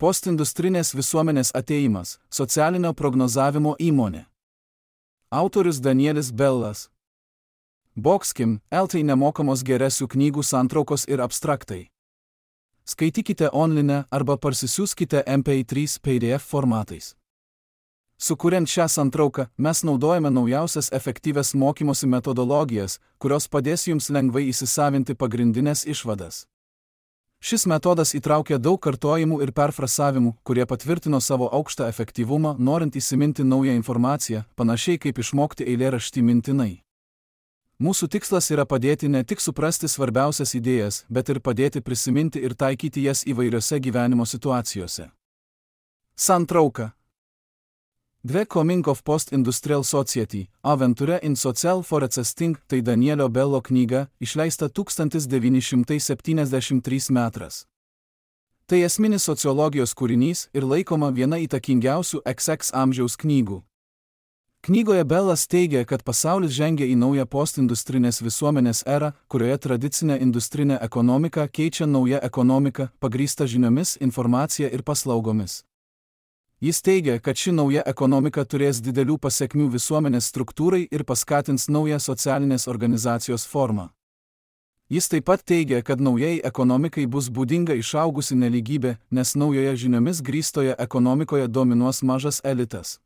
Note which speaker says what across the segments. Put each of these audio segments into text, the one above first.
Speaker 1: Postindustrinės visuomenės atėjimas – socialinio prognozavimo įmonė. Autorius Danielis Bellas. Boxkim, LT nemokamos geresių knygų santraukos ir abstraktai. Skaitykite online arba parsisiųskite MP3 PDF formatais. Sukuriant šią santrauką, mes naudojame naujausias efektyvias mokymosi metodologijas, kurios padės jums lengvai įsisavinti pagrindinės išvadas. Šis metodas įtraukia daug kartojimų ir perfrasavimų, kurie patvirtino savo aukštą efektyvumą, norint įsiminti naują informaciją, panašiai kaip išmokti eilėraštį mintinai. Mūsų tikslas yra padėti ne tik suprasti svarbiausias idėjas, bet ir padėti prisiminti ir taikyti jas įvairiose gyvenimo situacijose. Santrauka. The Coming of Post-Industrial Society – Aventure in Social Forecasting – tai Danielio Bello knyga, išleista 1973 metais. Tai esminis sociologijos kūrinys ir laikoma viena įtakingiausių XX amžiaus knygų. Knygoje Bellas teigia, kad pasaulis žengia į naują postindustrinės visuomenės erą, kurioje tradicinė industrinė ekonomika keičia naują ekonomiką, pagrįstą žiniomis, informacija ir paslaugomis. Jis teigia, kad ši nauja ekonomika turės didelių pasekmių visuomenės struktūrai ir paskatins naują socialinės organizacijos formą. Jis taip pat teigia, kad naujai ekonomikai bus būdinga išaugusi nelygybė, nes naujoje žiniomis grįstoje ekonomikoje dominuos mažas elitas.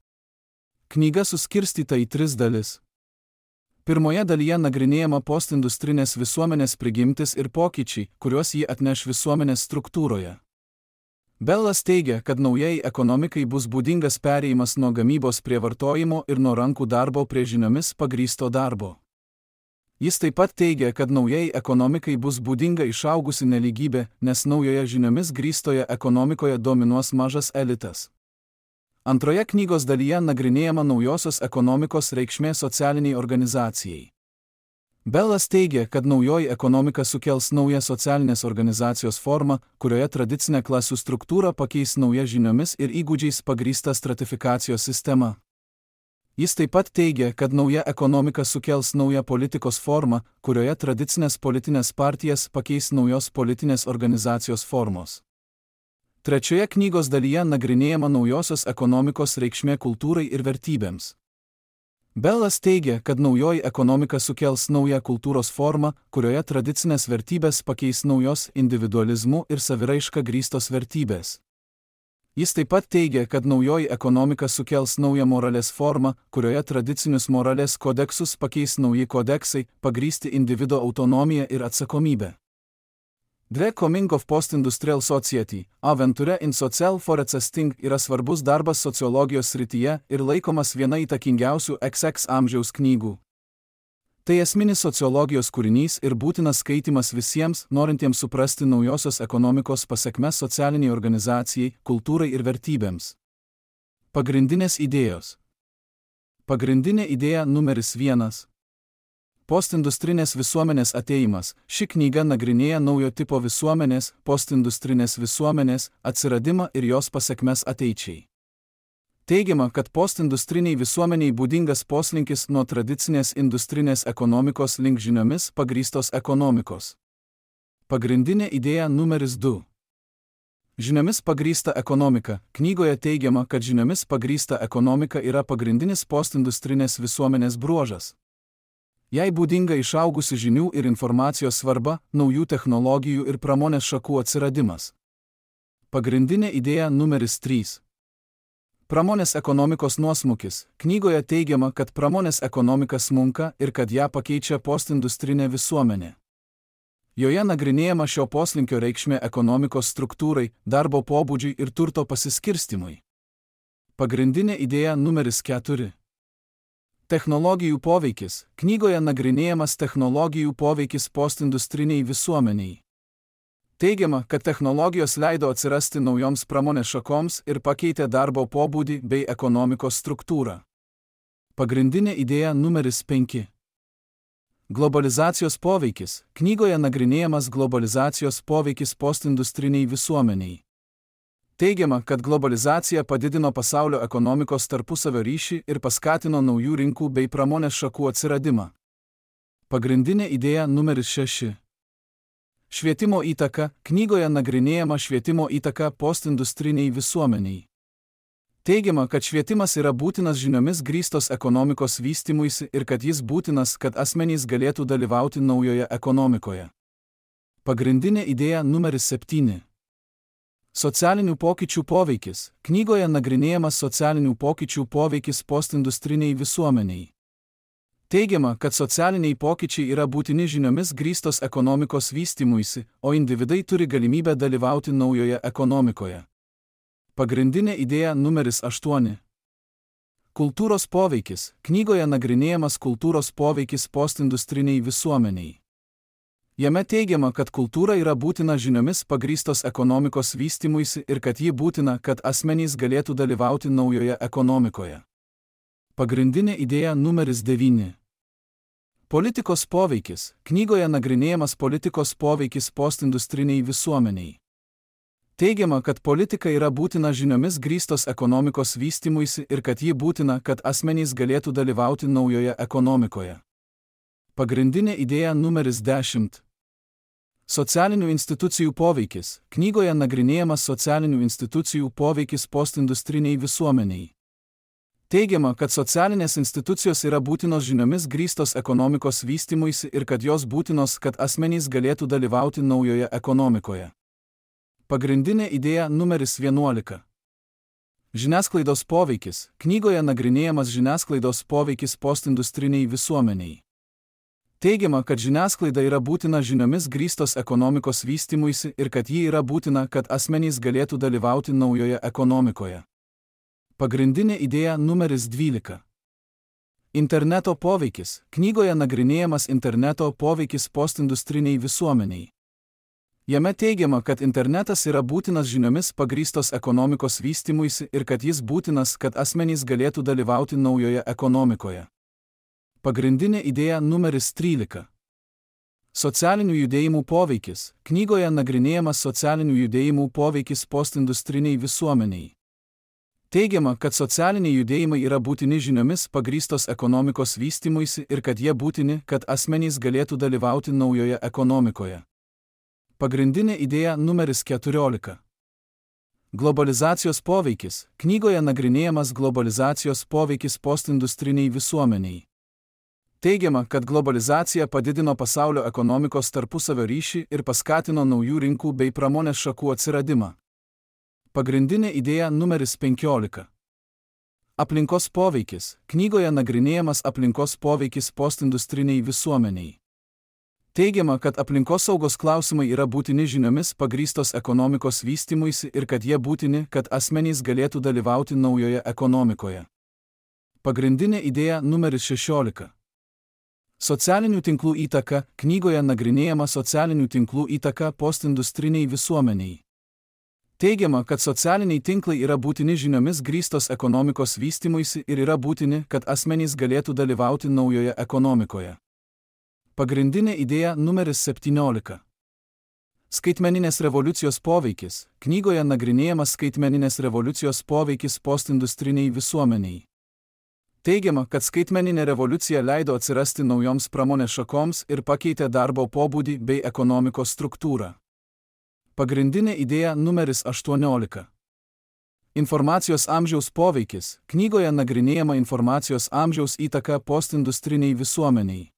Speaker 1: Knyga suskirstyta į 3 dalis. Pirmoje dalyje nagrinėjama postindustrinės visuomenės prigimtis ir pokyčiai, kuriuos ji atneš visuomenės struktūroje. Bellas teigia, kad naujai ekonomikai bus būdingas perėjimas nuo gamybos prie vartojimo ir nuo rankų darbo prie žiniomis pagrįsto darbo. Jis taip pat teigia, kad naujai ekonomikai bus būdinga išaugusi nelygybė, nes naujoje žiniomis grįstoje ekonomikoje dominuos mažas elitas. Antroje knygos dalyje nagrinėjama naujosios ekonomikos reikšmė socialiniai organizacijai. Bellas teigia, kad naujoji ekonomika sukels naują socialinės organizacijos formą, kurioje tradicinę klasių struktūrą pakeis nauja žiniomis ir įgūdžiais pagrįsta stratifikacijos sistema. Jis taip pat teigia, kad nauja ekonomika sukels naują politikos formą, kurioje tradicinės politinės partijas pakeis naujos politinės organizacijos formos. Trečioje knygos dalyje nagrinėjama naujosios ekonomikos reikšmė kultūrai ir vertybėms. Bellas teigia, kad naujoji ekonomika sukels naują kultūros formą, kurioje tradicinės vertybės pakeis naujos individualizmu ir saviraiška grįstos vertybės. Jis taip pat teigia, kad naujoji ekonomika sukels naują moralės formą, kurioje tradicinius moralės kodeksus pakeis nauji kodeksai, pagrįsti individo autonomiją ir atsakomybę. The Coming of Post-Industrial Society – Aventure in Social Forecasting yra svarbus darbas sociologijos srityje ir laikomas viena įtakingiausių XX amžiaus knygų. Tai esminis sociologijos kūrinys ir būtinas skaitymas visiems, norintiems suprasti naujosios ekonomikos pasekmes socialiniai organizacijai, kultūrai ir vertybėms. Pagrindinės idėjos. Pagrindinė idėja numeris 1. Postindustrinės visuomenės atėjimas. Ši knyga nagrinėja naujo tipo visuomenės, postindustrinės visuomenės, atsiradimą ir jos pasekmes ateičiai. Teigiama, kad postindustriniai visuomeniai būdingas poslinkis nuo tradicinės industrinės ekonomikos link žiniomis pagrįstos ekonomikos. Pagrindinė idėja numeris 2. Žiniomis pagrįsta ekonomika. Knygoje teigiama, kad žiniomis pagrįsta ekonomika yra pagrindinis postindustrinės visuomenės bruožas. Jai būdinga išaugusi žinių ir informacijos svarba, naujų technologijų ir pramonės šakų atsiradimas. Pagrindinė idėja numeris 3. Pramonės ekonomikos nuosmukis. Knygoje teigiama, kad pramonės ekonomika smunka ir kad ją pakeičia postindustrinė visuomenė. Joje nagrinėjama šio poslinkio reikšmė ekonomikos struktūrai, darbo pobūdžiui ir turto pasiskirstimui. Pagrindinė idėja numeris 4. Technologijų poveikis. Knygoje nagrinėjamas technologijų poveikis postindustriniai visuomeniai. Teigiama, kad technologijos leido atsirasti naujoms pramonės šakoms ir pakeitė darbo pobūdį bei ekonomikos struktūrą. Pagrindinė idėja numeris 5. Globalizacijos poveikis. Knygoje nagrinėjamas globalizacijos poveikis postindustriniai visuomeniai. Teigiama, kad globalizacija padidino pasaulio ekonomikos tarpusavio ryšį ir paskatino naujų rinkų bei pramonės šakų atsiradimą. Pagrindinė idėja numeris 6. Švietimo įtaka. Knygoje nagrinėjama švietimo įtaka postindustriniai visuomeniai. Teigiama, kad švietimas yra būtinas žiniomis grįstos ekonomikos vystymuisi ir kad jis būtinas, kad asmenys galėtų dalyvauti naujoje ekonomikoje. Pagrindinė idėja numeris 7. Socialinių pokyčių poveikis. Knygoje nagrinėjamas socialinių pokyčių poveikis postindustriniai visuomeniai. Teigiama, kad socialiniai pokyčiai yra būtini žiniomis grįstos ekonomikos vystymuisi, o individai turi galimybę dalyvauti naujoje ekonomikoje. Pagrindinė idėja numeris 8. Kultūros poveikis. Knygoje nagrinėjamas kultūros poveikis postindustriniai visuomeniai. Jame teigiama, kad kultūra yra būtina žiniomis pagrįstos ekonomikos vystymuisi ir kad ji būtina, kad asmenys galėtų dalyvauti naujoje ekonomikoje. Pagrindinė idėja numeris 9. Politikos poveikis. Knygoje nagrinėjamas politikos poveikis postindustriniai visuomeniai. Teigiama, kad politika yra būtina žiniomis grįstos ekonomikos vystymuisi ir kad ji būtina, kad asmenys galėtų dalyvauti naujoje ekonomikoje. Pagrindinė idėja numeris 10. Socialinių institucijų poveikis. Knygoje nagrinėjamas socialinių institucijų poveikis postindustriniai visuomeniai. Teigiama, kad socialinės institucijos yra būtinos žiniomis grįstos ekonomikos vystymuisi ir kad jos būtinos, kad asmenys galėtų dalyvauti naujoje ekonomikoje. Pagrindinė idėja numeris 11. Žiniasklaidos poveikis. Knygoje nagrinėjamas žiniasklaidos poveikis postindustriniai visuomeniai. Teigiama, kad žiniasklaida yra būtina žiniomis grįstos ekonomikos vystymuisi ir kad ji yra būtina, kad asmenys galėtų dalyvauti naujoje ekonomikoje. Pagrindinė idėja numeris 12. Interneto poveikis. Knygoje nagrinėjamas interneto poveikis postindustriniai visuomeniai. Jame teigiama, kad internetas yra būtinas žiniomis pagrįstos ekonomikos vystymuisi ir kad jis būtinas, kad asmenys galėtų dalyvauti naujoje ekonomikoje. Pagrindinė idėja numeris 13. Socialinių judėjimų poveikis. Knygoje nagrinėjamas socialinių judėjimų poveikis postindustriniai visuomeniai. Teigiama, kad socialiniai judėjimai yra būtini žiniomis pagrįstos ekonomikos vystymuisi ir kad jie būtini, kad asmenys galėtų dalyvauti naujoje ekonomikoje. Pagrindinė idėja numeris 14. Globalizacijos poveikis. Knygoje nagrinėjamas globalizacijos poveikis postindustriniai visuomeniai. Teigiama, kad globalizacija padidino pasaulio ekonomikos tarpusavio ryšį ir paskatino naujų rinkų bei pramonės šakų atsiradimą. Pagrindinė idėja numeris 15. Aplinkos poveikis. Knygoje nagrinėjamas aplinkos poveikis postindustriniai visuomeniai. Teigiama, kad aplinkosaugos klausimai yra būtini žiniomis pagrįstos ekonomikos vystymuisi ir kad jie būtini, kad asmenys galėtų dalyvauti naujoje ekonomikoje. Pagrindinė idėja numeris 16. Socialinių tinklų įtaka. Knygoje nagrinėjama socialinių tinklų įtaka postindustriniai visuomeniai. Teigiama, kad socialiniai tinklai yra būtini žiniomis grįstos ekonomikos vystymuisi ir yra būtini, kad asmenys galėtų dalyvauti naujoje ekonomikoje. Pagrindinė idėja numeris 17. Skaitmeninės revoliucijos poveikis. Knygoje nagrinėjamas skaitmeninės revoliucijos poveikis postindustriniai visuomeniai. Teigiama, kad skaitmeninė revoliucija leido atsirasti naujoms pramonės šakoms ir pakeitė darbo pobūdį bei ekonomikos struktūrą. Pagrindinė idėja numeris 18. Informacijos amžiaus poveikis. Knygoje nagrinėjama informacijos amžiaus įtaka postindustriniai visuomeniai.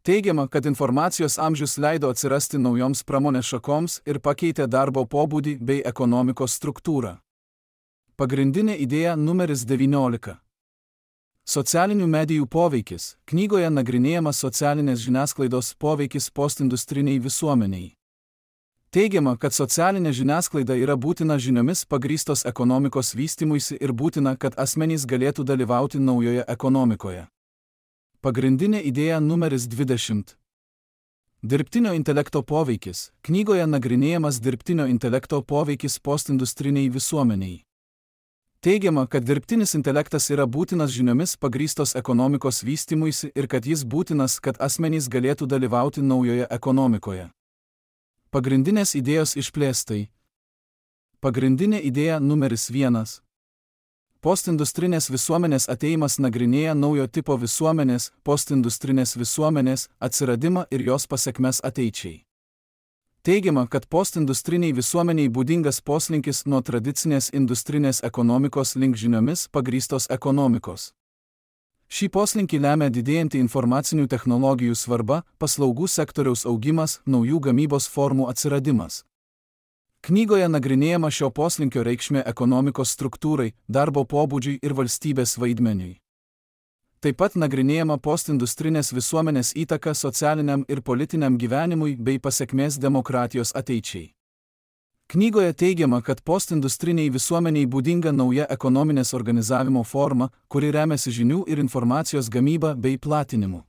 Speaker 1: Teigiama, kad informacijos amžius leido atsirasti naujoms pramonės šakoms ir pakeitė darbo pobūdį bei ekonomikos struktūrą. Pagrindinė idėja numeris 19. Socialinių medijų poveikis. Knygoje nagrinėjamas socialinės žiniasklaidos poveikis postindustriniai visuomeniai. Teigiama, kad socialinė žiniasklaida yra būtina žiniomis pagrįstos ekonomikos vystymuisi ir būtina, kad asmenys galėtų dalyvauti naujoje ekonomikoje. Pagrindinė idėja numeris 20. Dirbtinio intelekto poveikis. Knygoje nagrinėjamas dirbtinio intelekto poveikis postindustriniai visuomeniai. Teigiama, kad dirbtinis intelektas yra būtinas žiniomis pagrįstos ekonomikos vystymuisi ir kad jis būtinas, kad asmenys galėtų dalyvauti naujoje ekonomikoje. Pagrindinės idėjos išplėstai. Pagrindinė idėja numeris 1. Postindustrinės visuomenės atėjimas nagrinėja naujo tipo visuomenės, postindustrinės visuomenės atsiradimą ir jos pasekmes ateičiai. Teigiama, kad postindustriniai visuomeniai būdingas poslinkis nuo tradicinės industrinės ekonomikos link žiniomis pagrįstos ekonomikos. Šį poslinkį lemia didėjanti informacinių technologijų svarba, paslaugų sektoriaus augimas, naujų gamybos formų atsiradimas. Knygoje nagrinėjama šio poslinkio reikšmė ekonomikos struktūrai, darbo pobūdžiui ir valstybės vaidmeniui. Taip pat nagrinėjama postindustrinės visuomenės įtaka socialiniam ir politiniam gyvenimui bei pasekmės demokratijos ateičiai. Knygoje teigiama, kad postindustriniai visuomeniai būdinga nauja ekonominės organizavimo forma, kuri remiasi žinių ir informacijos gamyba bei platinimu.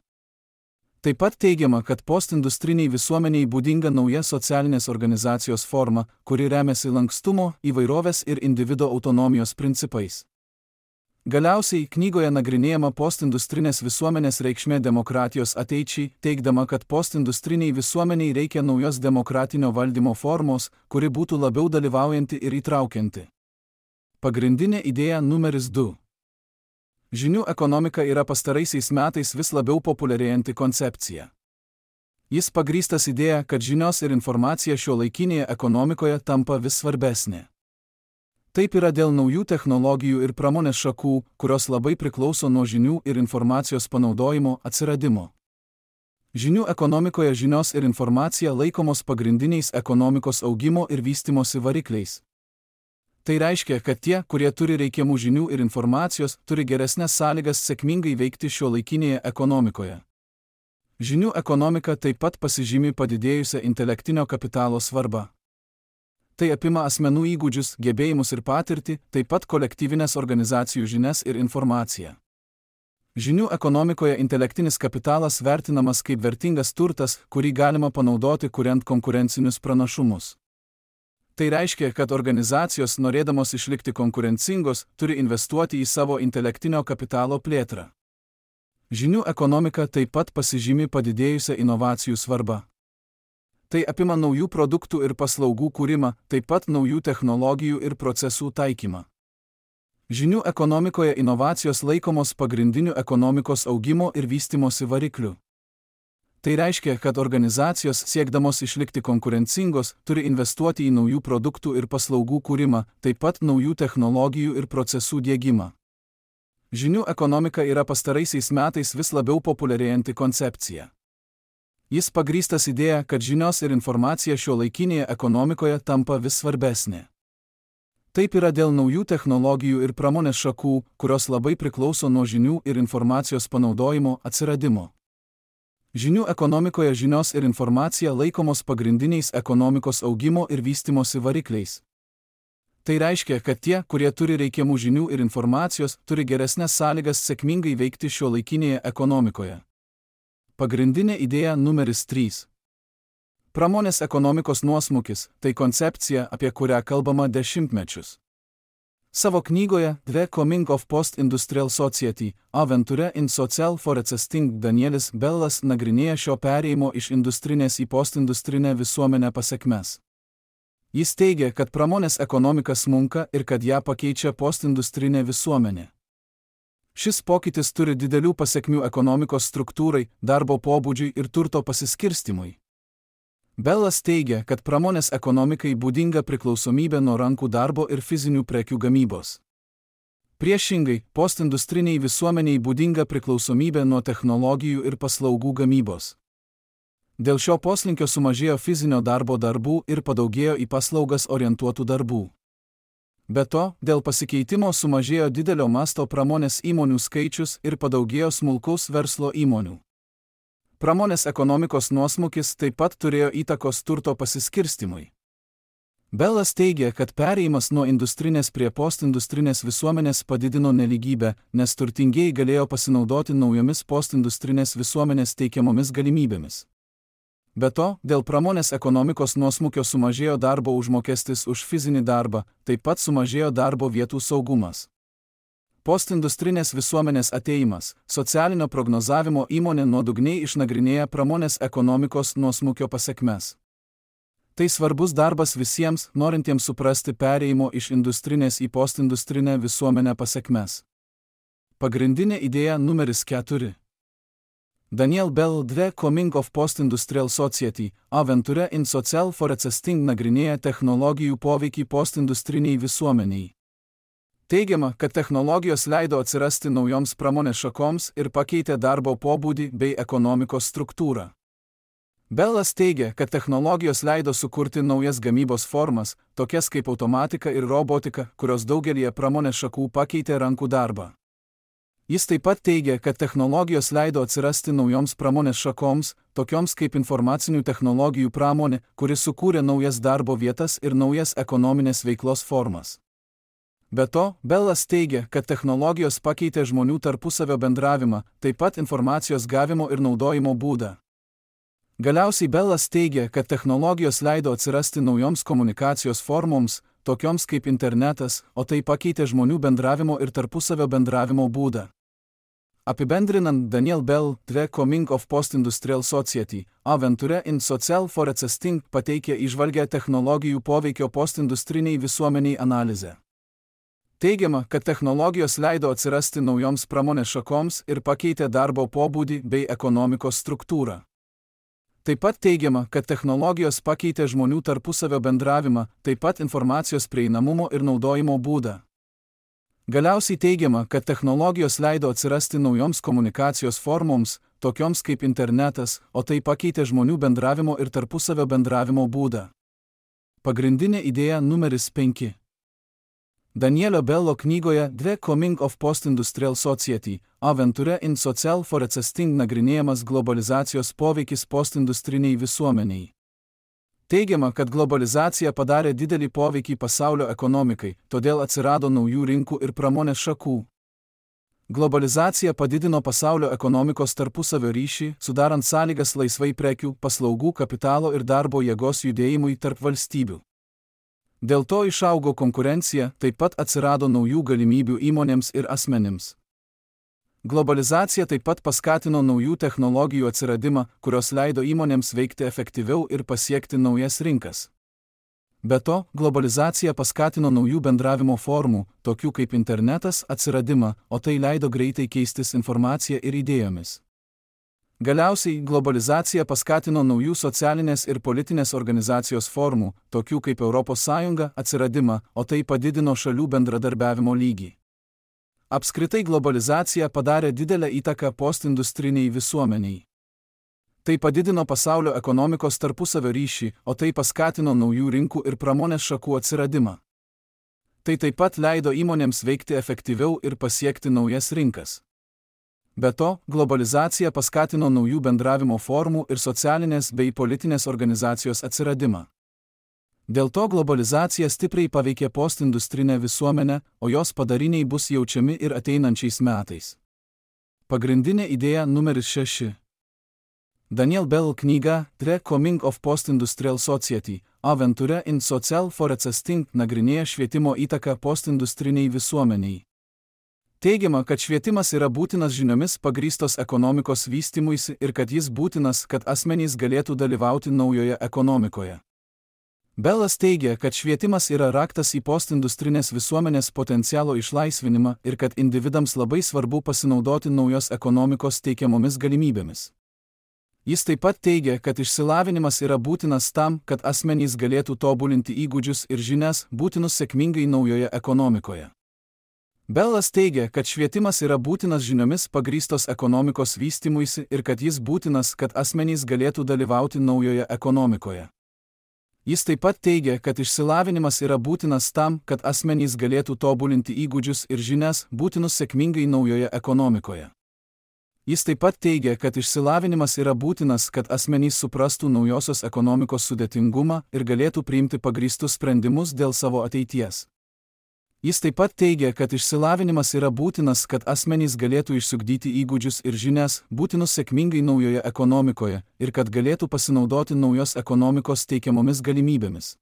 Speaker 1: Taip pat teigiama, kad postindustriniai visuomeniai būdinga nauja socialinės organizacijos forma, kuri remiasi lankstumo, įvairovės ir individo autonomijos principais. Galiausiai knygoje nagrinėjama postindustrinės visuomenės reikšmė demokratijos ateičiai, teigdama, kad postindustriniai visuomeniai reikia naujos demokratinio valdymo formos, kuri būtų labiau dalyvaujanti ir įtraukianti. Pagrindinė idėja numeris 2. Žinių ekonomika yra pastaraisiais metais vis labiau populiarėjanti koncepcija. Jis pagrįstas idėja, kad žinios ir informacija šiuolaikinėje ekonomikoje tampa vis svarbesnė. Taip yra dėl naujų technologijų ir pramonės šakų, kurios labai priklauso nuo žinių ir informacijos panaudojimo atsiradimo. Žinių ekonomikoje žinios ir informacija laikomos pagrindiniais ekonomikos augimo ir vystimosi varikliais. Tai reiškia, kad tie, kurie turi reikiamų žinių ir informacijos, turi geresnes sąlygas sėkmingai veikti šiuolaikinėje ekonomikoje. Žinių ekonomika taip pat pasižymi padidėjusią intelektinio kapitalo svarbą. Tai apima asmenų įgūdžius, gebėjimus ir patirtį, taip pat kolektyvinės organizacijų žinias ir informaciją. Žinių ekonomikoje intelektinis kapitalas vertinamas kaip vertingas turtas, kurį galima panaudoti kuriant konkurencinius pranašumus. Tai reiškia, kad organizacijos, norėdamos išlikti konkurencingos, turi investuoti į savo intelektinio kapitalo plėtrą. Žinių ekonomika taip pat pasižymi padidėjusią inovacijų svarbą. Tai apima naujų produktų ir paslaugų kūrimą, taip pat naujų technologijų ir procesų taikymą. Žinių ekonomikoje inovacijos laikomos pagrindiniu ekonomikos augimo ir vystimosi varikliu. Tai reiškia, kad organizacijos, siekdamos išlikti konkurencingos, turi investuoti į naujų produktų ir paslaugų kūrimą, taip pat naujų technologijų ir procesų diegimą. Žinių ekonomika yra pastaraisiais metais vis labiau populiarėjanti koncepcija. Jis pagrįstas idėja, kad žinios ir informacija šiuolaikinėje ekonomikoje tampa vis svarbesnė. Taip yra dėl naujų technologijų ir pramonės šakų, kurios labai priklauso nuo žinių ir informacijos panaudojimo atsiradimo. Žinių ekonomikoje žinios ir informacija laikomos pagrindiniais ekonomikos augimo ir vystimosi varikliais. Tai reiškia, kad tie, kurie turi reikiamų žinių ir informacijos, turi geresnes sąlygas sėkmingai veikti šiuolaikinėje ekonomikoje. Pagrindinė idėja numeris 3. Pramonės ekonomikos nuosmukis – tai koncepcija, apie kurią kalbama dešimtmečius. Savo knygoje The Coming of Post-Industrial Society – Aventure in Social Forecasting Danielis Bellas nagrinėja šio perėjimo iš industrinės į postindustrinę visuomenę pasekmes. Jis teigia, kad pramonės ekonomika smunka ir kad ją pakeičia postindustrinė visuomenė. Šis pokytis turi didelių pasekmių ekonomikos struktūrai, darbo pobūdžiui ir turto pasiskirstimui. Bellas teigia, kad pramonės ekonomikai būdinga priklausomybė nuo rankų darbo ir fizinių prekių gamybos. Priešingai, postindustriniai visuomeniai būdinga priklausomybė nuo technologijų ir paslaugų gamybos. Dėl šio poslinkio sumažėjo fizinio darbo darbų ir padaugėjo į paslaugas orientuotų darbų. Be to, dėl pasikeitimo sumažėjo didelio masto pramonės įmonių skaičius ir padaugėjo smulkaus verslo įmonių. Pramonės ekonomikos nuosmukis taip pat turėjo įtakos turto pasiskirstimui. Bellas teigia, kad perėjimas nuo industrinės prie postindustrinės visuomenės padidino nelygybę, nes turtingieji galėjo pasinaudoti naujomis postindustrinės visuomenės teikiamomis galimybėmis. Be to, dėl pramonės ekonomikos nuosmukio sumažėjo darbo užmokestis už fizinį darbą, taip pat sumažėjo darbo vietų saugumas. Postindustrinės visuomenės atėjimas – socialinio prognozavimo įmonė nuodugniai išnagrinėja pramonės ekonomikos nuosmukio pasekmes. Tai svarbus darbas visiems, norintiems suprasti perėjimo iš industrinės į postindustrinę visuomenę pasekmes. Pagrindinė idėja numeris 4. Daniel Bell The Coming of Post-Industrial Society, Aventure in Social Forecasting nagrinėja technologijų poveikį postindustriniai visuomeniai. Teigiama, kad technologijos leido atsirasti naujoms pramonės šakoms ir pakeitė darbo pobūdį bei ekonomikos struktūrą. Bellas teigia, kad technologijos leido sukurti naujas gamybos formas, tokias kaip automatika ir robotika, kurios daugelyje pramonės šakų pakeitė rankų darbą. Jis taip pat teigia, kad technologijos leido atsirasti naujoms pramonės šakoms, tokioms kaip informacinių technologijų pramonė, kuri sukūrė naujas darbo vietas ir naujas ekonominės veiklos formas. Be to, Bellas teigia, kad technologijos pakeitė žmonių tarpusavio bendravimą, taip pat informacijos gavimo ir naudojimo būdą. Galiausiai Bellas teigia, kad technologijos leido atsirasti naujoms komunikacijos formoms, tokioms kaip internetas, o tai pakeitė žmonių bendravimo ir tarpusavio bendravimo būdą. Apibendrinant, Daniel Bell The Coming of Post-Industrial Society, Aventure in Social Forecasting pateikė įžvalgią technologijų poveikio postindustriniai visuomeniai analizę. Teigiama, kad technologijos leido atsirasti naujoms pramonės šakoms ir pakeitė darbo pobūdį bei ekonomikos struktūrą. Taip pat teigiama, kad technologijos pakeitė žmonių tarpusavio bendravimą, taip pat informacijos prieinamumo ir naudojimo būdą. Galiausiai teigiama, kad technologijos leido atsirasti naujoms komunikacijos formoms, tokioms kaip internetas, o tai pakeitė žmonių bendravimo ir tarpusavio bendravimo būdą. Pagrindinė idėja numeris 5. Danielio Bello knygoje The Coming of Post-Industrial Society, Aventure in Social Forecasting nagrinėjamas globalizacijos poveikis postindustriniai visuomeniai. Teigiama, kad globalizacija padarė didelį poveikį pasaulio ekonomikai, todėl atsirado naujų rinkų ir pramonės šakų. Globalizacija padidino pasaulio ekonomikos tarpusavio ryšį, sudarant sąlygas laisvai prekių, paslaugų, kapitalo ir darbo jėgos judėjimui tarp valstybių. Dėl to išaugo konkurencija, taip pat atsirado naujų galimybių įmonėms ir asmenims. Globalizacija taip pat paskatino naujų technologijų atsiradimą, kurios leido įmonėms veikti efektyviau ir pasiekti naujas rinkas. Be to, globalizacija paskatino naujų bendravimo formų, tokių kaip internetas, atsiradimą, o tai leido greitai keistis informacija ir idėjomis. Galiausiai, globalizacija paskatino naujų socialinės ir politinės organizacijos formų, tokių kaip Europos Sąjunga, atsiradimą, o tai padidino šalių bendradarbiavimo lygį. Apskritai globalizacija padarė didelę įtaką postindustriniai visuomeniai. Tai padidino pasaulio ekonomikos tarpusavio ryšį, o tai paskatino naujų rinkų ir pramonės šakų atsiradimą. Tai taip pat leido įmonėms veikti efektyviau ir pasiekti naujas rinkas. Be to, globalizacija paskatino naujų bendravimo formų ir socialinės bei politinės organizacijos atsiradimą. Dėl to globalizacija stipriai paveikė postindustrinę visuomenę, o jos padariniai bus jaučiami ir ateinančiais metais. Pagrindinė idėja numeris 6. Daniel Bell knyga The Coming of Post-Industrial Society, Aventure in Social Forecasting nagrinėja švietimo įtaką postindustriniai visuomeniai. Teigiama, kad švietimas yra būtinas žiniomis pagrįstos ekonomikos vystymuisi ir kad jis būtinas, kad asmenys galėtų dalyvauti naujoje ekonomikoje. Bellas teigia, kad švietimas yra raktas į postindustrinės visuomenės potencialo išlaisvinimą ir kad individams labai svarbu pasinaudoti naujos ekonomikos teikiamomis galimybėmis. Jis taip pat teigia, kad išsilavinimas yra būtinas tam, kad asmenys galėtų tobulinti įgūdžius ir žinias, būtinus sėkmingai naujoje ekonomikoje. Bellas teigia, kad švietimas yra būtinas žiniomis pagrįstos ekonomikos vystymuisi ir kad jis būtinas, kad asmenys galėtų dalyvauti naujoje ekonomikoje. Jis taip pat teigia, kad išsilavinimas yra būtinas tam, kad asmenys galėtų tobulinti įgūdžius ir žinias, būtinus sėkmingai naujoje ekonomikoje. Jis taip pat teigia, kad išsilavinimas yra būtinas, kad asmenys suprastų naujosios ekonomikos sudėtingumą ir galėtų priimti pagrįstus sprendimus dėl savo ateities. Jis taip pat teigia, kad išsilavinimas yra būtinas, kad asmenys galėtų išsiugdyti įgūdžius ir žinias, būtinus sėkmingai naujoje ekonomikoje, ir kad galėtų pasinaudoti naujos ekonomikos teikiamomis galimybėmis.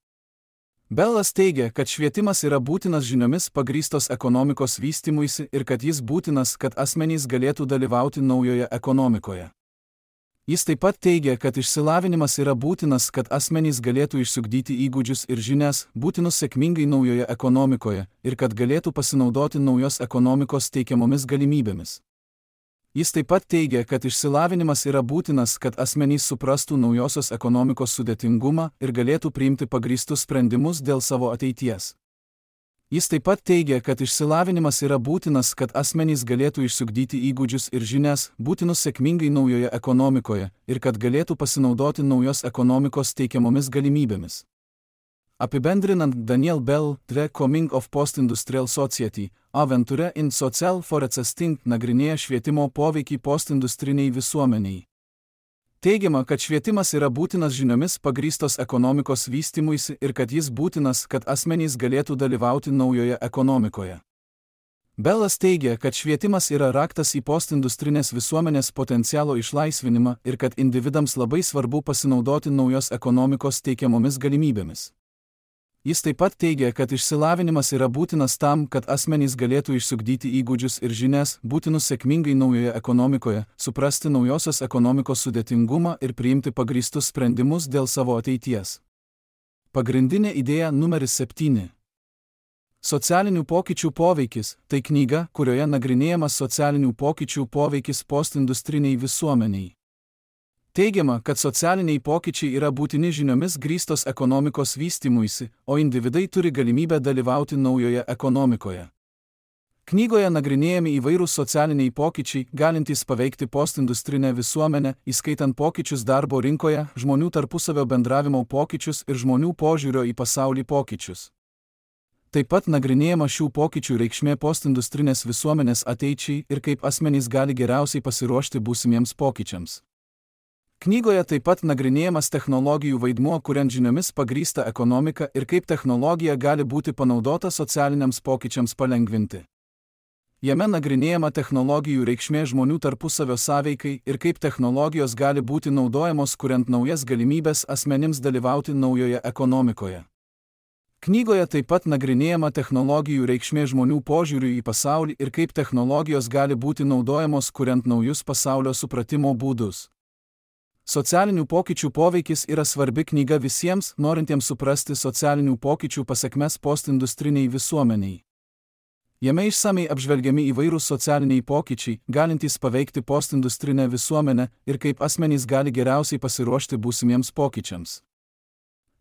Speaker 1: Bellas teigia, kad švietimas yra būtinas žiniomis pagrįstos ekonomikos vystymuisi ir kad jis būtinas, kad asmenys galėtų dalyvauti naujoje ekonomikoje. Jis taip pat teigia, kad išsilavinimas yra būtinas, kad asmenys galėtų išsiugdyti įgūdžius ir žinias, būtinus sėkmingai naujoje ekonomikoje, ir kad galėtų pasinaudoti naujos ekonomikos teikiamomis galimybėmis. Jis taip pat teigia, kad išsilavinimas yra būtinas, kad asmenys suprastų naujosios ekonomikos sudėtingumą ir galėtų priimti pagrįstus sprendimus dėl savo ateities. Jis taip pat teigia, kad išsilavinimas yra būtinas, kad asmenys galėtų išsiugdyti įgūdžius ir žinias, būtinus sėkmingai naujoje ekonomikoje, ir kad galėtų pasinaudoti naujos ekonomikos teikiamomis galimybėmis. Apibendrinant, Daniel Bell, The Coming of Post-Industrial Society, Aventure in Social Forecasting nagrinėja švietimo poveikį postindustriniai visuomeniai. Teigiama, kad švietimas yra būtinas žiniomis pagrįstos ekonomikos vystymuisi ir kad jis būtinas, kad asmenys galėtų dalyvauti naujoje ekonomikoje. Bellas teigia, kad švietimas yra raktas į postindustrinės visuomenės potencialo išlaisvinimą ir kad individams labai svarbu pasinaudoti naujos ekonomikos teikiamomis galimybėmis. Jis taip pat teigia, kad išsilavinimas yra būtinas tam, kad asmenys galėtų išsiugdyti įgūdžius ir žinias, būtinus sėkmingai naujoje ekonomikoje, suprasti naujosios ekonomikos sudėtingumą ir priimti pagrįstus sprendimus dėl savo ateities. Pagrindinė idėja numeris 7. Socialinių pokyčių poveikis – tai knyga, kurioje nagrinėjamas socialinių pokyčių poveikis postindustriniai visuomeniai. Teigiama, kad socialiniai pokyčiai yra būtini žiniomis grįstos ekonomikos vystymuisi, o individai turi galimybę dalyvauti naujoje ekonomikoje. Knygoje nagrinėjami įvairūs socialiniai pokyčiai, galintys paveikti postindustrinę visuomenę, įskaitant pokyčius darbo rinkoje, žmonių tarpusavio bendravimo pokyčius ir žmonių požiūrio į pasaulį pokyčius. Taip pat nagrinėjama šių pokyčių reikšmė postindustrinės visuomenės ateičiai ir kaip asmenys gali geriausiai pasiruošti būsimiems pokyčiams. Knygoje taip pat nagrinėjamas technologijų vaidmuo kuriant žiniomis pagrįstą ekonomiką ir kaip technologija gali būti panaudota socialiniams pokyčiams palengvinti. Jame nagrinėjama technologijų reikšmė žmonių tarpusavio sąveikai ir kaip technologijos gali būti naudojamos kuriant naujas galimybės asmenims dalyvauti naujoje ekonomikoje. Knygoje taip pat nagrinėjama technologijų reikšmė žmonių požiūriui į pasaulį ir kaip technologijos gali būti naudojamos kuriant naujus pasaulio supratimo būdus. Socialinių pokyčių poveikis yra svarbi knyga visiems, norintiems suprasti socialinių pokyčių pasekmes postindustriniai visuomeniai. Jame išsamiai apžvelgiami įvairūs socialiniai pokyčiai, galintys paveikti postindustrinę visuomenę ir kaip asmenys gali geriausiai pasiruošti būsimiems pokyčiams.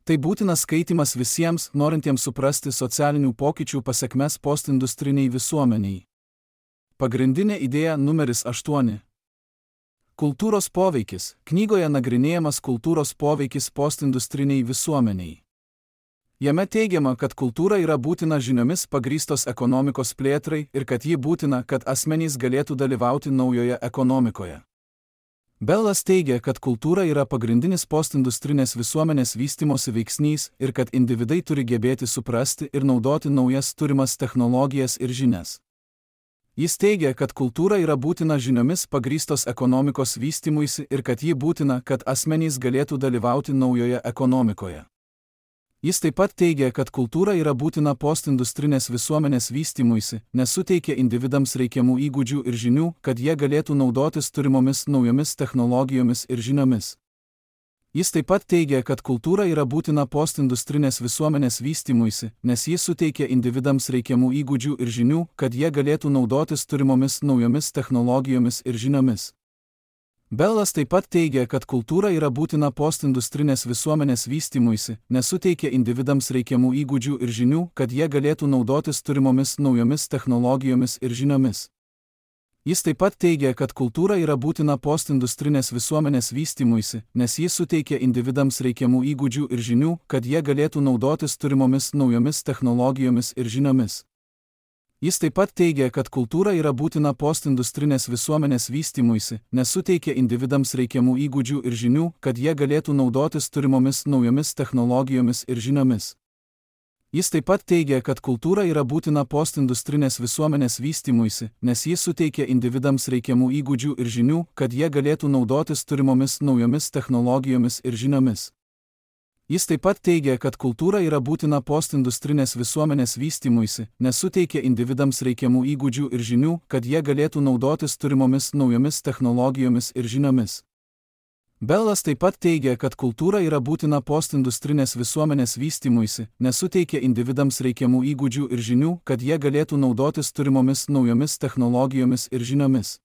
Speaker 1: Tai būtinas skaitymas visiems, norintiems suprasti socialinių pokyčių pasekmes postindustriniai visuomeniai. Pagrindinė idėja numeris 8. Kultūros poveikis. Knygoje nagrinėjamas kultūros poveikis postindustriniai visuomeniai. Jame teigiama, kad kultūra yra būtina žiniomis pagrįstos ekonomikos plėtrai ir kad ji būtina, kad asmenys galėtų dalyvauti naujoje ekonomikoje. Bellas teigia, kad kultūra yra pagrindinis postindustrinės visuomenės vystymosi veiksnys ir kad individai turi gebėti suprasti ir naudoti naujas turimas technologijas ir žinias. Jis teigia, kad kultūra yra būtina žiniomis pagrįstos ekonomikos vystymuisi ir kad ji būtina, kad asmenys galėtų dalyvauti naujoje ekonomikoje. Jis taip pat teigia, kad kultūra yra būtina postindustrinės visuomenės vystymuisi, nes suteikia individams reikiamų įgūdžių ir žinių, kad jie galėtų naudotis turimomis naujomis technologijomis ir žiniomis. Jis taip pat teigia, kad kultūra yra būtina postindustrinės visuomenės vystymuisi, nes jis suteikia individams reikiamų įgūdžių ir žinių, kad jie galėtų naudotis turimomis naujomis technologijomis ir žiniomis. Bellas taip pat teigia, kad kultūra yra būtina postindustrinės visuomenės vystymuisi, nes suteikia individams reikiamų įgūdžių ir žinių, kad jie galėtų naudotis turimomis naujomis technologijomis ir žiniomis. Jis taip pat teigia, kad kultūra yra būtina postindustrinės visuomenės vystymuisi, nes jis suteikia individams reikiamų įgūdžių ir žinių, kad jie galėtų naudotis turimomis naujomis technologijomis ir žiniomis. Jis taip pat teigia, kad kultūra yra būtina postindustrinės visuomenės vystymuisi, nes suteikia individams reikiamų įgūdžių ir žinių, kad jie galėtų naudotis turimomis naujomis technologijomis ir žiniomis. Jis taip pat teigia, kad kultūra yra būtina postindustrinės visuomenės vystymuisi, nes jis suteikia individams reikiamų įgūdžių ir žinių, kad jie galėtų naudotis turimomis naujomis technologijomis ir žiniomis. Jis taip pat teigia, kad kultūra yra būtina postindustrinės visuomenės vystymuisi, nes suteikia individams reikiamų įgūdžių ir žinių, kad jie galėtų naudotis turimomis naujomis technologijomis ir žiniomis. Bellas taip pat teigia, kad kultūra yra būtina postindustrinės visuomenės vystymuisi, nes suteikia individams reikiamų įgūdžių ir žinių, kad jie galėtų naudotis turimomis naujomis technologijomis ir žiniomis.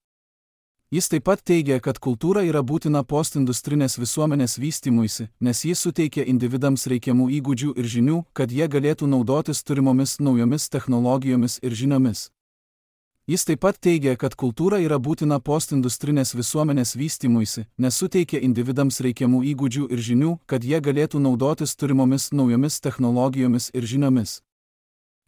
Speaker 1: Jis taip pat teigia, kad kultūra yra būtina postindustrinės visuomenės vystymuisi, nes jis suteikia individams reikiamų įgūdžių ir žinių, kad jie galėtų naudotis turimomis naujomis technologijomis ir žiniomis. Jis taip pat teigia, kad kultūra yra būtina postindustrinės visuomenės vystymuisi, nes suteikia individams reikiamų įgūdžių ir žinių, kad jie galėtų naudotis turimomis naujomis technologijomis ir žiniomis.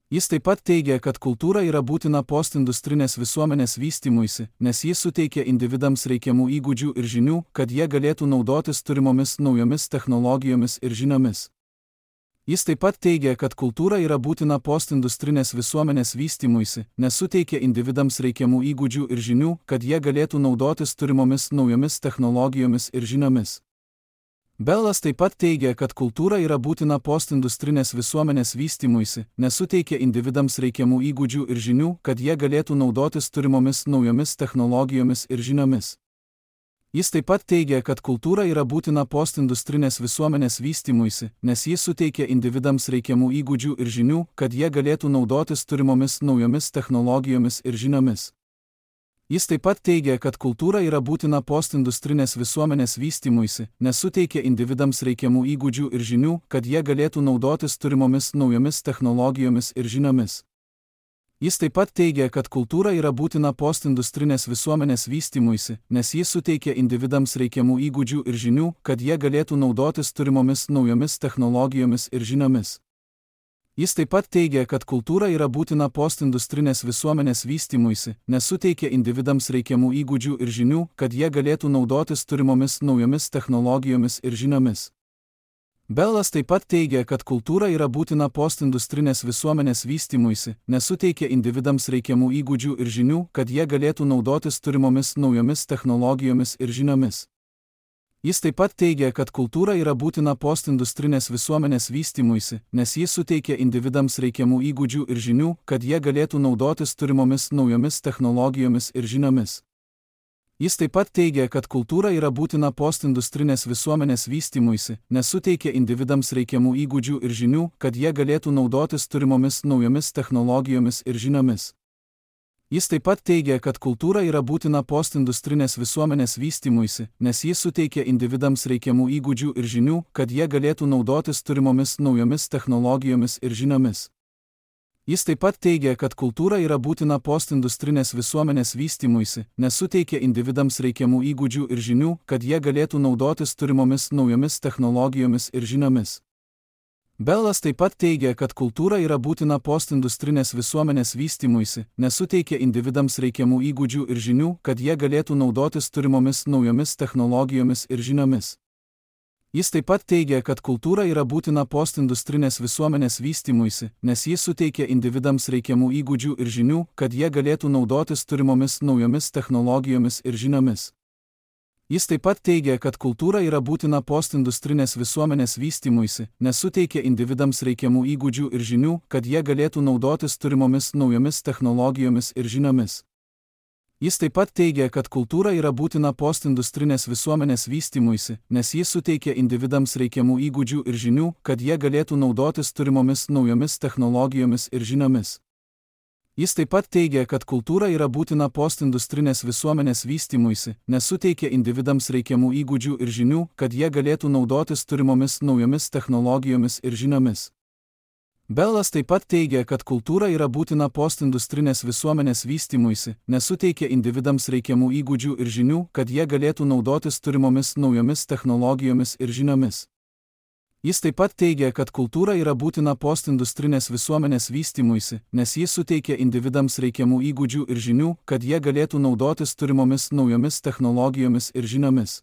Speaker 1: Jis taip pat teigia, kad kultūra yra būtina postindustrinės visuomenės vystymuisi, nes jis suteikia individams reikiamų įgūdžių ir žinių, kad jie galėtų naudotis turimomis naujomis technologijomis ir žiniomis. Jis taip pat teigia, kad kultūra yra būtina postindustrinės visuomenės vystymuisi, nes suteikia individams reikiamų įgūdžių ir žinių, kad jie galėtų naudotis turimomis naujomis technologijomis ir žiniomis. Bellas taip pat teigia, kad kultūra yra būtina postindustrinės visuomenės vystymuisi, nes suteikia individams reikiamų įgūdžių ir žinių, kad jie galėtų naudotis turimomis naujomis technologijomis ir žiniomis. Jis taip pat teigia, kad kultūra yra būtina postindustrinės visuomenės vystymuisi, nes jis suteikia individams reikiamų įgūdžių ir žinių, kad jie galėtų naudotis turimomis naujomis technologijomis ir žiniomis. Jis taip pat teigia, kad kultūra yra būtina postindustrinės visuomenės vystymuisi, nes suteikia individams reikiamų įgūdžių ir žinių, kad jie galėtų naudotis turimomis naujomis technologijomis ir žiniomis. Jis taip pat teigia, kad kultūra yra būtina postindustrinės visuomenės vystymuisi, nes jis suteikia individams reikiamų įgūdžių ir žinių, kad jie galėtų naudotis turimomis naujomis technologijomis ir žiniomis. Jis taip pat teigia, kad kultūra yra būtina postindustrinės visuomenės vystymuisi, nes suteikia individams reikiamų įgūdžių ir žinių, kad jie galėtų naudotis turimomis naujomis technologijomis ir žiniomis. Bellas taip pat teigia, kad kultūra yra būtina postindustrinės visuomenės vystymuisi, nes suteikia individams reikiamų įgūdžių ir žinių, kad jie galėtų naudotis turimomis naujomis technologijomis ir žiniomis. Jis taip pat teigia, kad kultūra yra būtina postindustrinės visuomenės vystymuisi, nes jis suteikia individams reikiamų įgūdžių ir žinių, kad jie galėtų naudotis turimomis naujomis technologijomis ir žiniomis. Jis taip pat teigia, kad kultūra yra būtina postindustrinės visuomenės vystymuisi, nes suteikia individams reikiamų įgūdžių ir žinių, kad jie galėtų naudotis turimomis naujomis technologijomis ir žiniomis. Jis taip pat teigia, kad kultūra yra būtina postindustrinės visuomenės vystymuisi, nes jis suteikia individams reikiamų įgūdžių ir žinių, kad jie galėtų naudotis turimomis naujomis technologijomis ir žiniomis. Jis taip pat teigia, kad kultūra yra būtina postindustrinės visuomenės vystymuisi, nes suteikia individams reikiamų įgūdžių ir žinių, kad jie galėtų naudotis turimomis naujomis technologijomis ir žiniomis. Bellas taip pat teigia, kad kultūra yra būtina postindustrinės visuomenės vystymuisi, nes suteikia individams reikiamų įgūdžių ir žinių, kad jie galėtų naudotis turimomis naujomis technologijomis ir žiniomis. Jis taip pat teigia, kad kultūra yra būtina postindustrinės visuomenės vystymuisi, nes jis suteikia individams reikiamų įgūdžių ir žinių, kad jie galėtų naudotis turimomis naujomis technologijomis ir žiniomis. Jis taip pat teigia, kad kultūra yra būtina postindustrinės visuomenės vystymuisi, nes suteikia individams reikiamų įgūdžių ir žinių, kad jie galėtų naudotis turimomis naujomis technologijomis ir žiniomis. Jis taip pat teigia, kad kultūra yra būtina postindustrinės visuomenės vystymuisi, nes jis suteikia individams reikiamų įgūdžių ir žinių, kad jie galėtų naudotis turimomis naujomis technologijomis ir žiniomis. Jis taip pat teigia, kad kultūra yra būtina postindustrinės visuomenės vystymuisi, nes suteikia individams reikiamų įgūdžių ir žinių, kad jie galėtų naudotis turimomis naujomis technologijomis ir žiniomis. Bellas taip pat teigia, kad kultūra yra būtina postindustrinės visuomenės vystymuisi, nes suteikia individams reikiamų įgūdžių ir žinių, kad jie galėtų naudotis turimomis naujomis technologijomis ir žiniomis. Jis taip pat teigia, kad kultūra yra būtina postindustrinės visuomenės vystymuisi, nes jis suteikia individams reikiamų įgūdžių ir žinių, kad jie galėtų naudotis turimomis naujomis technologijomis ir žiniomis.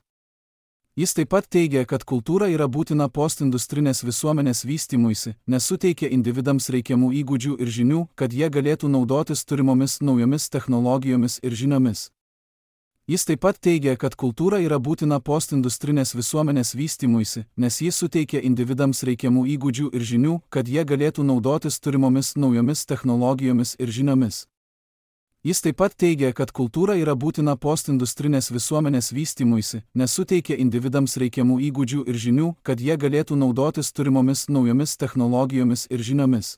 Speaker 1: Jis taip pat teigia, kad kultūra yra būtina postindustrinės visuomenės vystymuisi, nes suteikia individams reikiamų įgūdžių ir žinių, kad jie galėtų naudotis turimomis naujomis technologijomis ir žiniomis. Jis taip pat teigia, kad kultūra yra būtina postindustrinės visuomenės vystymuisi, nes jis suteikia individams reikiamų įgūdžių ir žinių, kad jie galėtų naudotis turimomis naujomis technologijomis ir žiniomis. Jis taip pat teigia, kad kultūra yra būtina postindustrinės visuomenės vystymuisi, nes suteikia individams reikiamų įgūdžių ir žinių, kad jie galėtų naudotis turimomis naujomis technologijomis ir žiniomis.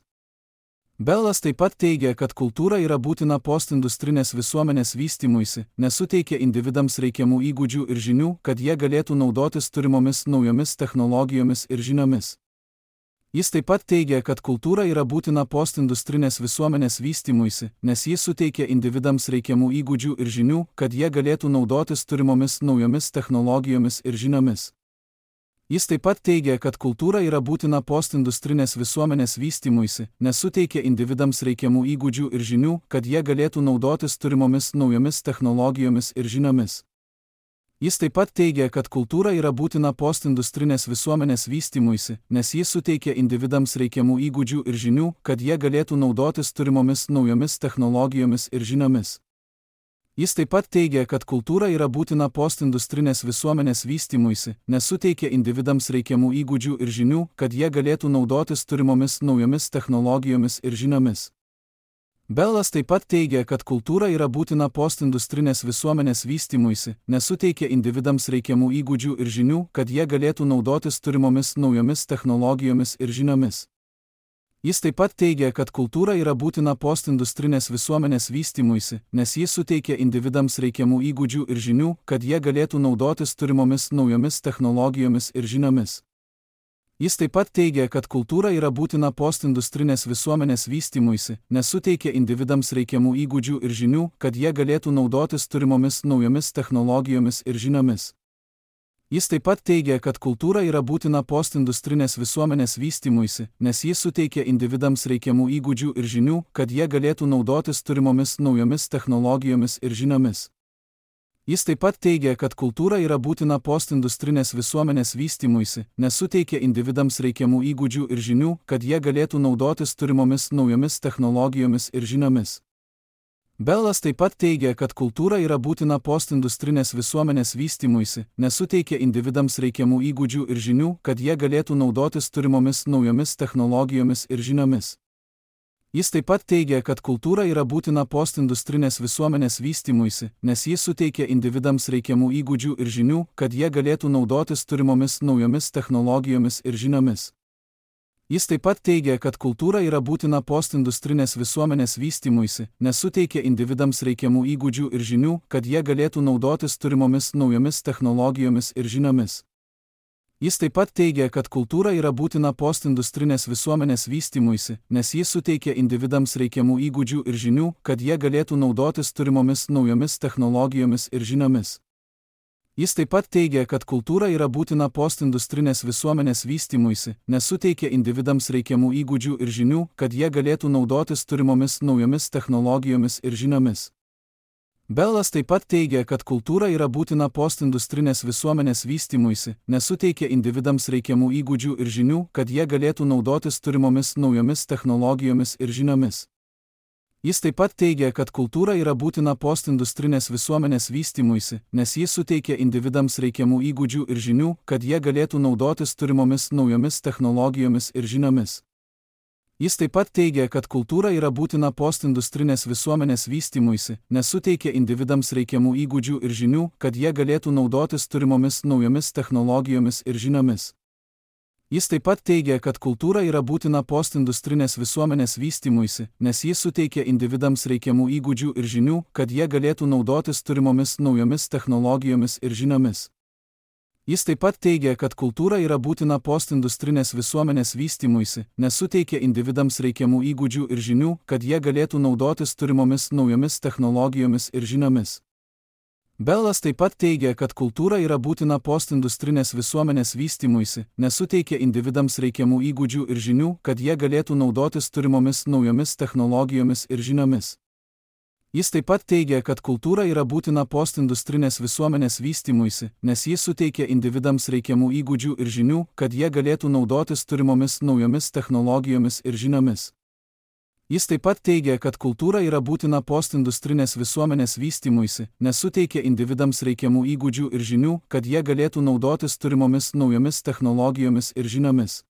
Speaker 1: Bellas taip pat teigia, kad kultūra yra būtina postindustrinės visuomenės vystymuisi, nes suteikia individams reikiamų įgūdžių ir žinių, kad jie galėtų naudotis turimomis naujomis technologijomis ir žiniomis. Jis taip pat teigia, kad kultūra yra būtina postindustrinės visuomenės vystymuisi, nes jis suteikia individams reikiamų įgūdžių ir žinių, kad jie galėtų naudotis turimomis naujomis technologijomis ir žiniomis. Jis taip pat teigia, kad kultūra yra būtina postindustrinės visuomenės vystymuisi, nes suteikia individams reikiamų įgūdžių ir žinių, kad jie galėtų naudotis turimomis naujomis technologijomis ir žiniomis. Jis taip pat teigia, kad kultūra yra būtina postindustrinės visuomenės vystymuisi, nes jis suteikia individams reikiamų įgūdžių ir žinių, kad jie galėtų naudotis turimomis naujomis technologijomis ir žiniomis. Jis taip pat teigia, kad kultūra yra būtina postindustrinės visuomenės vystymuisi, nes suteikia individams reikiamų įgūdžių ir žinių, kad jie galėtų naudotis turimomis naujomis technologijomis ir žiniomis. Bellas taip pat teigia, kad kultūra yra būtina postindustrinės visuomenės vystymuisi, nes suteikia individams reikiamų įgūdžių ir žinių, kad jie galėtų naudotis turimomis naujomis technologijomis ir žiniomis. Jis taip pat teigia, kad kultūra yra būtina postindustrinės visuomenės vystymuisi, nes jis suteikia individams reikiamų įgūdžių ir žinių, kad jie galėtų naudotis turimomis naujomis technologijomis ir žiniomis. Jis taip pat teigia, kad kultūra yra būtina postindustrinės visuomenės vystymuisi, nes suteikia individams reikiamų įgūdžių ir žinių, kad jie galėtų naudotis turimomis naujomis technologijomis ir žiniomis. Jis taip pat teigia, kad kultūra yra būtina postindustrinės visuomenės vystymuisi, nes jis suteikia individams reikiamų įgūdžių ir žinių, kad jie galėtų naudotis turimomis naujomis technologijomis ir žiniomis. Jis taip pat teigia, kad kultūra yra būtina postindustrinės visuomenės vystymuisi, nes suteikia individams reikiamų įgūdžių ir žinių, kad jie galėtų naudotis turimomis naujomis technologijomis ir žiniomis. Bellas taip pat teigia, kad kultūra yra būtina postindustrinės visuomenės vystymuisi, nes suteikia individams reikiamų įgūdžių ir žinių, kad jie galėtų naudotis turimomis naujomis technologijomis ir žiniomis. Jis taip pat teigia, kad kultūra yra būtina postindustrinės visuomenės vystymuisi, nes jis suteikia individams reikiamų įgūdžių ir žinių, kad jie galėtų naudotis turimomis naujomis technologijomis ir žiniomis. Jis taip pat teigia, kad kultūra yra būtina postindustrinės visuomenės vystymuisi, nes suteikia individams reikiamų įgūdžių ir žinių, kad jie galėtų naudotis turimomis naujomis technologijomis ir žiniomis. Jis taip pat teigia, kad kultūra yra būtina postindustrinės visuomenės vystymuisi, nes jis suteikia individams reikiamų įgūdžių ir žinių, kad jie galėtų naudotis turimomis naujomis technologijomis ir žiniomis. Jis taip pat teigia, kad kultūra yra būtina postindustrinės visuomenės vystymuisi, nes suteikia individams reikiamų įgūdžių ir žinių, kad jie galėtų naudotis turimomis naujomis technologijomis ir žiniomis. Bellas taip pat teigia, kad kultūra yra būtina postindustrinės visuomenės vystymuisi, nes suteikia individams reikiamų įgūdžių ir žinių, kad jie galėtų naudotis turimomis naujomis technologijomis ir žiniomis. Jis taip pat teigia, kad kultūra yra būtina postindustrinės visuomenės vystymuisi, nes jis suteikia individams reikiamų įgūdžių ir žinių, kad jie galėtų naudotis turimomis naujomis technologijomis ir žiniomis. Jis taip pat teigia, kad kultūra yra būtina postindustrinės visuomenės vystymuisi, nes suteikia individams reikiamų įgūdžių ir žinių, kad jie galėtų naudotis turimomis naujomis technologijomis ir žiniomis. Jis taip pat teigia, kad kultūra yra būtina postindustrinės visuomenės vystymuisi, nes jis suteikia individams reikiamų įgūdžių ir žinių, kad jie galėtų naudotis turimomis naujomis technologijomis ir žiniomis. Jis taip pat teigia, kad kultūra yra būtina postindustrinės visuomenės vystymuisi, nes suteikia individams reikiamų įgūdžių ir žinių, kad jie galėtų naudotis turimomis naujomis technologijomis ir žiniomis. Bellas taip pat teigia, kad kultūra yra būtina postindustrinės visuomenės vystymuisi, nes suteikia individams reikiamų įgūdžių ir žinių, kad jie galėtų naudotis turimomis naujomis technologijomis ir žiniomis. Jis taip pat teigia, kad kultūra yra būtina postindustrinės visuomenės vystymuisi, nes jis suteikia individams reikiamų įgūdžių ir žinių, kad jie galėtų naudotis turimomis naujomis technologijomis ir žiniomis. Jis taip pat teigia, kad kultūra yra būtina postindustrinės visuomenės vystymuisi, nes suteikia individams reikiamų įgūdžių ir žinių, kad jie galėtų naudotis turimomis naujomis technologijomis ir žiniomis.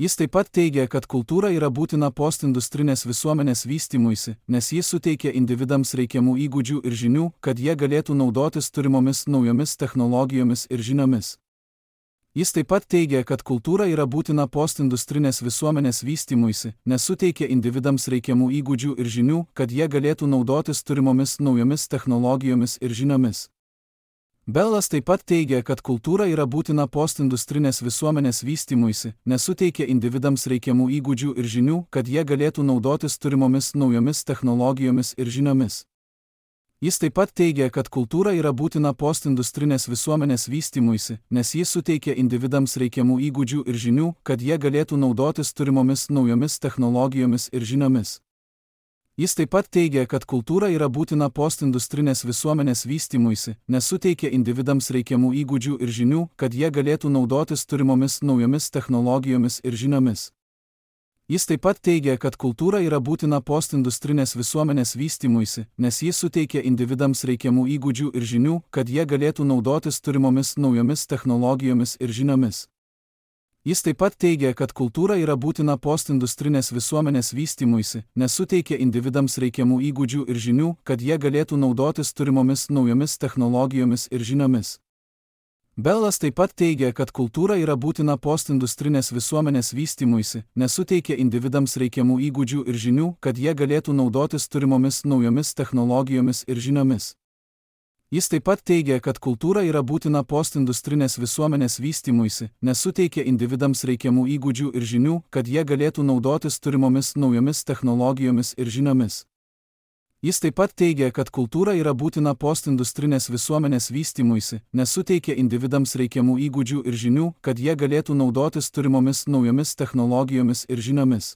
Speaker 1: Jis taip pat teigia, kad kultūra yra būtina postindustrinės visuomenės vystymuisi, nes jis suteikia individams reikiamų įgūdžių ir žinių, kad jie galėtų naudotis turimomis naujomis technologijomis ir žiniomis. Jis taip pat teigia, kad kultūra yra būtina postindustrinės visuomenės vystymuisi, nes suteikia individams reikiamų įgūdžių ir žinių, kad jie galėtų naudotis turimomis naujomis technologijomis ir žiniomis. Bellas taip pat teigia, kad kultūra yra būtina postindustrinės visuomenės vystymuisi, nes suteikia individams reikiamų įgūdžių ir žinių, kad jie galėtų naudotis turimomis naujomis technologijomis ir žiniomis. Jis taip pat teigia, kad kultūra yra būtina postindustrinės visuomenės vystymuisi, nes jis suteikia individams reikiamų įgūdžių ir žinių, kad jie galėtų naudotis turimomis naujomis technologijomis ir žiniomis. Jis taip pat teigia, kad kultūra yra būtina postindustrinės visuomenės vystymuisi, nes suteikia individams reikiamų įgūdžių ir žinių, kad jie galėtų naudotis turimomis naujomis technologijomis ir žiniomis. Jis taip pat teigia, kad kultūra yra būtina postindustrinės visuomenės vystymuisi, nes jis suteikia individams reikiamų įgūdžių ir žinių, kad jie galėtų naudotis turimomis naujomis technologijomis ir žiniomis. Jis taip pat teigia, kad kultūra yra būtina postindustrinės visuomenės vystymuisi, nes suteikia individams reikiamų įgūdžių ir žinių, kad jie galėtų naudotis turimomis naujomis technologijomis ir žiniomis. Bellas taip pat teigia, kad kultūra yra būtina postindustrinės visuomenės vystymuisi, nes suteikia individams reikiamų įgūdžių ir žinių, kad jie galėtų naudotis turimomis naujomis technologijomis ir žiniomis. Jis taip pat teigia, kad kultūra yra būtina postindustrinės visuomenės vystymuisi, nes suteikia individams reikiamų įgūdžių ir žinių, kad jie galėtų naudotis turimomis naujomis technologijomis ir žiniomis. Jis taip pat teigia, kad kultūra yra būtina postindustrinės visuomenės vystymuisi, nes suteikia individams reikiamų įgūdžių ir žinių, kad jie galėtų naudotis turimomis naujomis technologijomis ir žiniomis.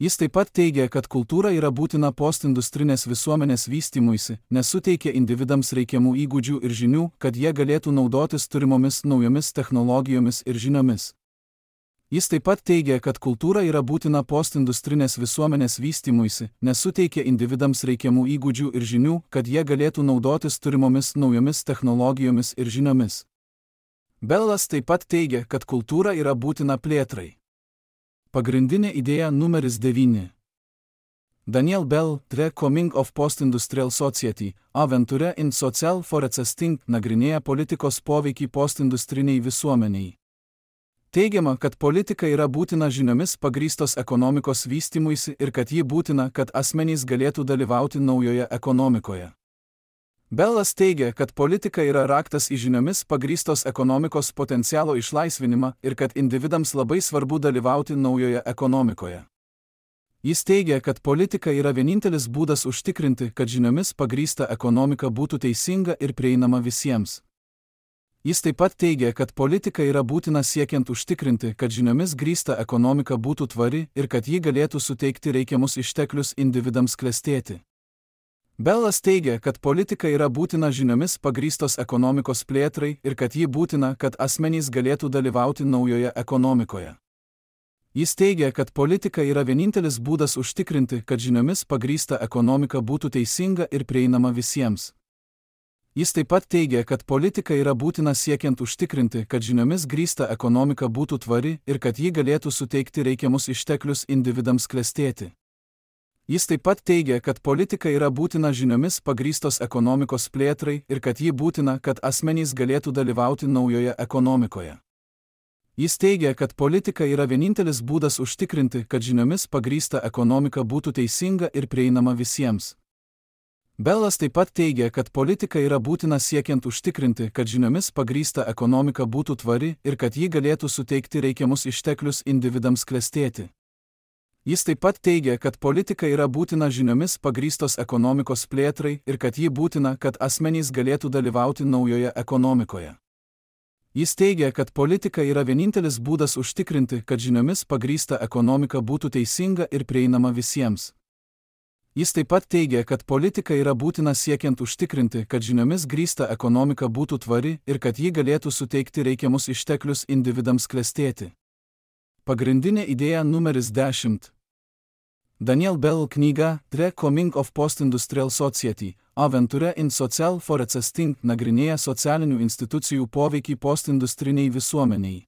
Speaker 1: Jis taip pat teigia, kad kultūra yra būtina postindustrinės visuomenės vystymuisi, nes suteikia individams reikiamų įgūdžių ir žinių, kad jie galėtų naudotis turimomis naujomis technologijomis ir žiniomis. Jis taip pat teigia, kad kultūra yra būtina postindustrinės visuomenės vystymuisi, nes suteikia individams reikiamų įgūdžių ir žinių, kad jie galėtų naudotis turimomis naujomis technologijomis ir žiniomis. Bellas taip pat teigia, kad kultūra yra būtina plėtrai. Pagrindinė idėja numeris 9. Daniel Bell, The Coming of Postindustrial Society, Aventure in Social Forecasting, nagrinėja politikos poveikį postindustriniai visuomeniai. Teigiama, kad politika yra būtina žiniomis pagrįstos ekonomikos vystymuisi ir kad ji būtina, kad asmenys galėtų dalyvauti naujoje ekonomikoje. Bellas teigia, kad politika yra raktas į žiniomis pagrįstos ekonomikos potencialo išlaisvinimą ir kad individams labai svarbu dalyvauti naujoje ekonomikoje. Jis teigia, kad politika yra vienintelis būdas užtikrinti, kad žiniomis pagrįsta ekonomika būtų teisinga ir prieinama visiems. Jis taip pat teigia, kad politika yra būtina siekiant užtikrinti, kad žiniomis grįsta ekonomika būtų tvari ir kad ji galėtų suteikti reikiamus išteklius individams klestėti. Bellas teigia, kad politika yra būtina žiniomis pagrįstos ekonomikos plėtrai ir kad ji būtina, kad asmenys galėtų dalyvauti naujoje ekonomikoje. Jis teigia, kad politika yra vienintelis būdas užtikrinti, kad žiniomis pagrįsta ekonomika būtų teisinga ir prieinama visiems. Jis taip pat teigia, kad politika yra būtina siekiant užtikrinti, kad žiniomis grįsta ekonomika būtų tvari ir kad ji galėtų suteikti reikiamus išteklius individams klestėti. Jis taip pat teigia, kad politika yra būtina žiniomis pagrįstos ekonomikos plėtrai ir kad ji būtina, kad asmenys galėtų dalyvauti naujoje ekonomikoje. Jis teigia, kad politika yra vienintelis būdas užtikrinti, kad žiniomis pagrįsta ekonomika būtų teisinga ir prieinama visiems. Bellas taip pat teigia, kad politika yra būtina siekiant užtikrinti, kad žiniomis pagrįsta ekonomika būtų tvari ir kad ji galėtų suteikti reikiamus išteklius individams klestėti. Jis taip pat teigia, kad politika yra būtina žiniomis pagrįstos ekonomikos plėtrai ir kad ji būtina, kad asmenys galėtų dalyvauti naujoje ekonomikoje. Jis teigia, kad politika yra vienintelis būdas užtikrinti, kad žiniomis pagrįsta ekonomika būtų teisinga ir prieinama visiems. Jis taip pat teigia, kad politika yra būtina siekiant užtikrinti, kad žiniomis grįsta ekonomika būtų tvari ir kad ji galėtų suteikti reikiamus išteklius individams klestėti. Pagrindinė idėja numeris 10. Daniel Bell knyga The Coming of Postindustrial Society, Aventure in Social Forecasting nagrinėja socialinių institucijų poveikį postindustriniai visuomeniai.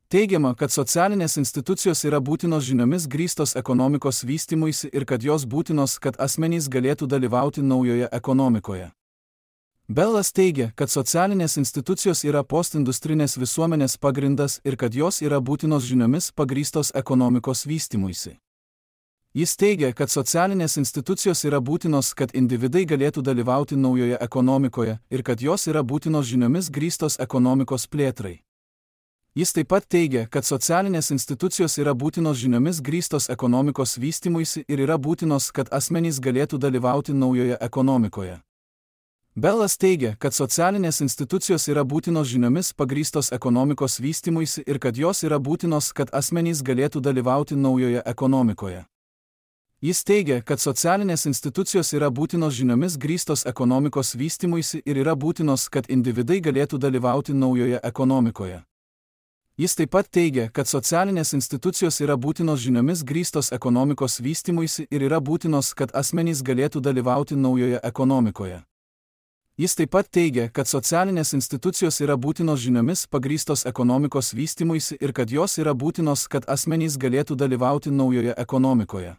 Speaker 1: Teigiama, kad socialinės institucijos yra būtinos žiniomis grįstos ekonomikos vystymuisi ir kad jos būtinos, kad asmenys galėtų dalyvauti naujoje ekonomikoje. Bellas teigia, kad socialinės institucijos yra postindustrinės visuomenės pagrindas ir kad jos yra būtinos žiniomis pagrįstos ekonomikos vystymuisi. Jis teigia, kad socialinės institucijos yra būtinos, kad individai galėtų dalyvauti naujoje ekonomikoje ir kad jos yra būtinos žiniomis grįstos ekonomikos plėtrai. Jis taip pat teigia, kad socialinės institucijos yra būtinos žiniomis grįstos ekonomikos vystymuisi ir yra būtinos, kad asmenys galėtų dalyvauti naujoje ekonomikoje. Bellas teigia, kad socialinės institucijos yra būtinos žiniomis pagrįstos ekonomikos vystymuisi ir kad jos yra būtinos, kad asmenys galėtų dalyvauti naujoje ekonomikoje. Jis teigia, kad socialinės institucijos yra būtinos žiniomis grįstos ekonomikos vystymuisi ir yra būtinos, kad individai galėtų dalyvauti naujoje ekonomikoje. Jis taip pat teigia, kad socialinės institucijos yra būtinos žiniomis grįstos ekonomikos vystymuisi ir yra būtinos, kad asmenys galėtų dalyvauti naujoje ekonomikoje. Jis taip pat teigia, kad socialinės institucijos yra būtinos žiniomis pagrįstos ekonomikos vystymuisi ir kad jos yra būtinos, kad asmenys galėtų dalyvauti naujoje ekonomikoje.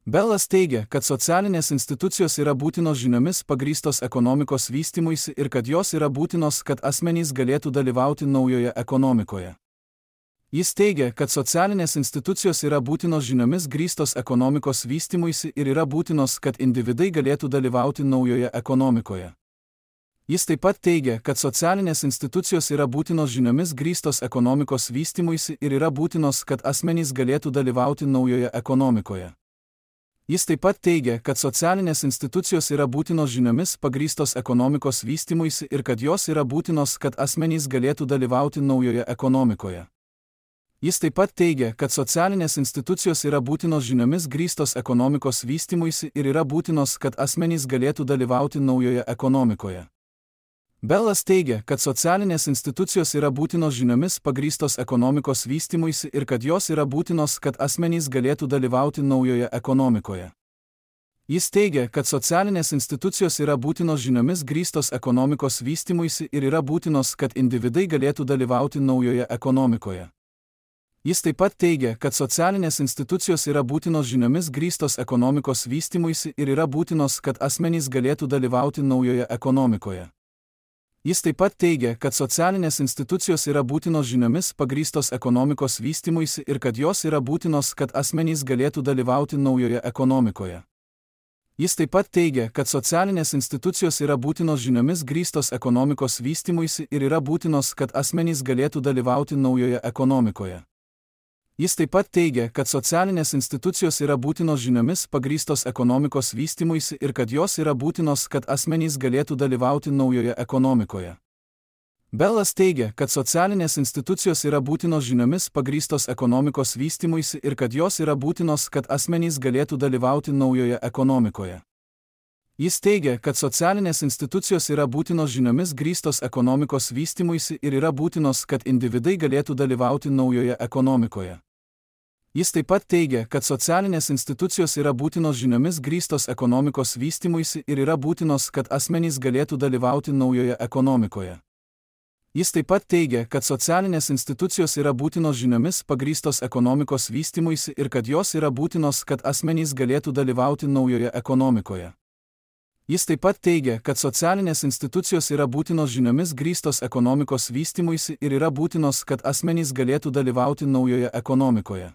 Speaker 1: Bellas teigia, kad socialinės institucijos yra būtinos žiniomis pagrįstos ekonomikos vystymuisi ir kad jos yra būtinos, kad asmenys galėtų dalyvauti naujoje ekonomikoje. Jis teigia, kad socialinės institucijos yra būtinos žiniomis grįstos ekonomikos vystymuisi ir yra būtinos, kad individai galėtų dalyvauti naujoje ekonomikoje. Jis taip pat teigia, kad socialinės institucijos yra būtinos žiniomis grįstos ekonomikos vystymuisi ir yra būtinos, kad asmenys galėtų dalyvauti naujoje ekonomikoje. Jis taip pat teigia, kad socialinės institucijos yra būtinos žiniomis pagrįstos ekonomikos vystymuisi ir kad jos yra būtinos, kad asmenys galėtų dalyvauti naujoje ekonomikoje. Jis taip pat teigia, kad socialinės institucijos yra būtinos žiniomis grįstos ekonomikos vystymuisi ir yra būtinos, kad asmenys galėtų dalyvauti naujoje ekonomikoje. Bellas teigia, kad socialinės institucijos yra būtinos žiniomis pagrįstos ekonomikos vystymuisi ir kad jos yra būtinos, kad asmenys galėtų dalyvauti naujoje ekonomikoje. Jis teigia, kad socialinės institucijos yra būtinos žiniomis grįstos ekonomikos vystymuisi ir yra būtinos, kad individai galėtų dalyvauti naujoje ekonomikoje. Jis taip pat teigia, kad socialinės institucijos yra būtinos žiniomis grįstos ekonomikos vystymuisi ir yra būtinos, kad asmenys galėtų dalyvauti naujoje ekonomikoje. Jis taip pat teigia, kad socialinės institucijos yra būtinos žiniomis pagrįstos ekonomikos vystymuisi ir kad jos yra būtinos, kad asmenys galėtų dalyvauti naujoje ekonomikoje. Jis taip pat teigia, kad socialinės institucijos yra būtinos žiniomis grįstos ekonomikos vystymuisi ir yra būtinos, kad asmenys galėtų dalyvauti naujoje ekonomikoje. Jis taip pat teigia, kad socialinės institucijos yra būtinos žiniomis pagrįstos ekonomikos vystymuisi ir kad jos yra būtinos, kad asmenys galėtų dalyvauti naujoje ekonomikoje. Bellas teigia, kad socialinės institucijos yra būtinos žiniomis pagrįstos ekonomikos vystymuisi ir kad jos yra būtinos, kad asmenys galėtų dalyvauti naujoje ekonomikoje. Jis teigia, kad socialinės institucijos yra būtinos žiniomis grįstos ekonomikos vystymuisi ir yra būtinos, kad individai galėtų dalyvauti naujoje ekonomikoje. Jis taip pat teigia, kad socialinės institucijos yra būtinos žiniomis grįstos ekonomikos vystymuisi ir yra būtinos, kad asmenys galėtų dalyvauti naujoje ekonomikoje. Jis taip pat teigia, kad socialinės institucijos yra būtinos žiniomis pagrįstos ekonomikos vystymuisi ir kad jos yra būtinos, kad asmenys galėtų dalyvauti naujoje ekonomikoje. Jis taip pat teigia, kad socialinės institucijos yra būtinos žiniomis grįstos ekonomikos vystymuisi ir yra būtinos, kad asmenys galėtų dalyvauti naujoje ekonomikoje.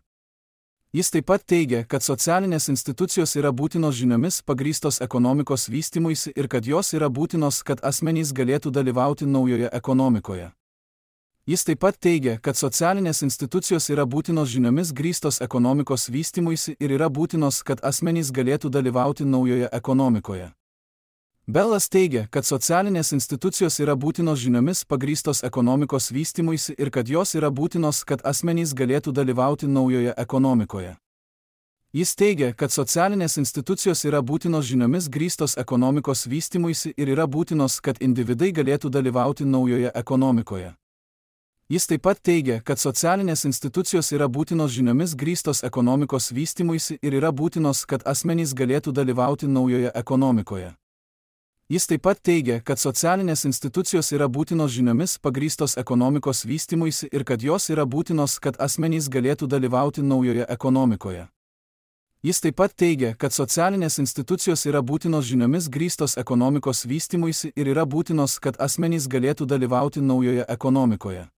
Speaker 1: Jis taip pat teigia, kad socialinės institucijos yra būtinos žiniomis pagrįstos ekonomikos vystymuisi ir kad jos yra būtinos, kad asmenys galėtų dalyvauti naujoje ekonomikoje. Jis taip pat teigia, kad socialinės institucijos yra būtinos žiniomis grįstos ekonomikos vystymuisi ir yra būtinos, kad asmenys galėtų dalyvauti naujoje ekonomikoje. Bellas teigia, kad socialinės institucijos yra būtinos žiniomis pagrįstos ekonomikos vystymuisi ir kad jos yra būtinos, kad asmenys galėtų dalyvauti naujoje ekonomikoje. Jis teigia, kad socialinės institucijos yra būtinos žiniomis grįstos ekonomikos vystymuisi ir yra būtinos, kad individai galėtų dalyvauti naujoje ekonomikoje. Jis taip pat teigia, kad socialinės institucijos yra būtinos žiniomis grįstos ekonomikos vystymuisi ir yra būtinos, kad asmenys galėtų dalyvauti naujoje ekonomikoje. Jis taip pat teigia, kad socialinės institucijos yra būtinos žiniomis pagrįstos ekonomikos vystymuisi ir kad jos yra būtinos, kad asmenys galėtų dalyvauti naujoje ekonomikoje. Jis taip pat teigia, kad socialinės institucijos yra būtinos žiniomis grįstos ekonomikos vystymuisi ir yra būtinos, kad asmenys galėtų dalyvauti naujoje ekonomikoje.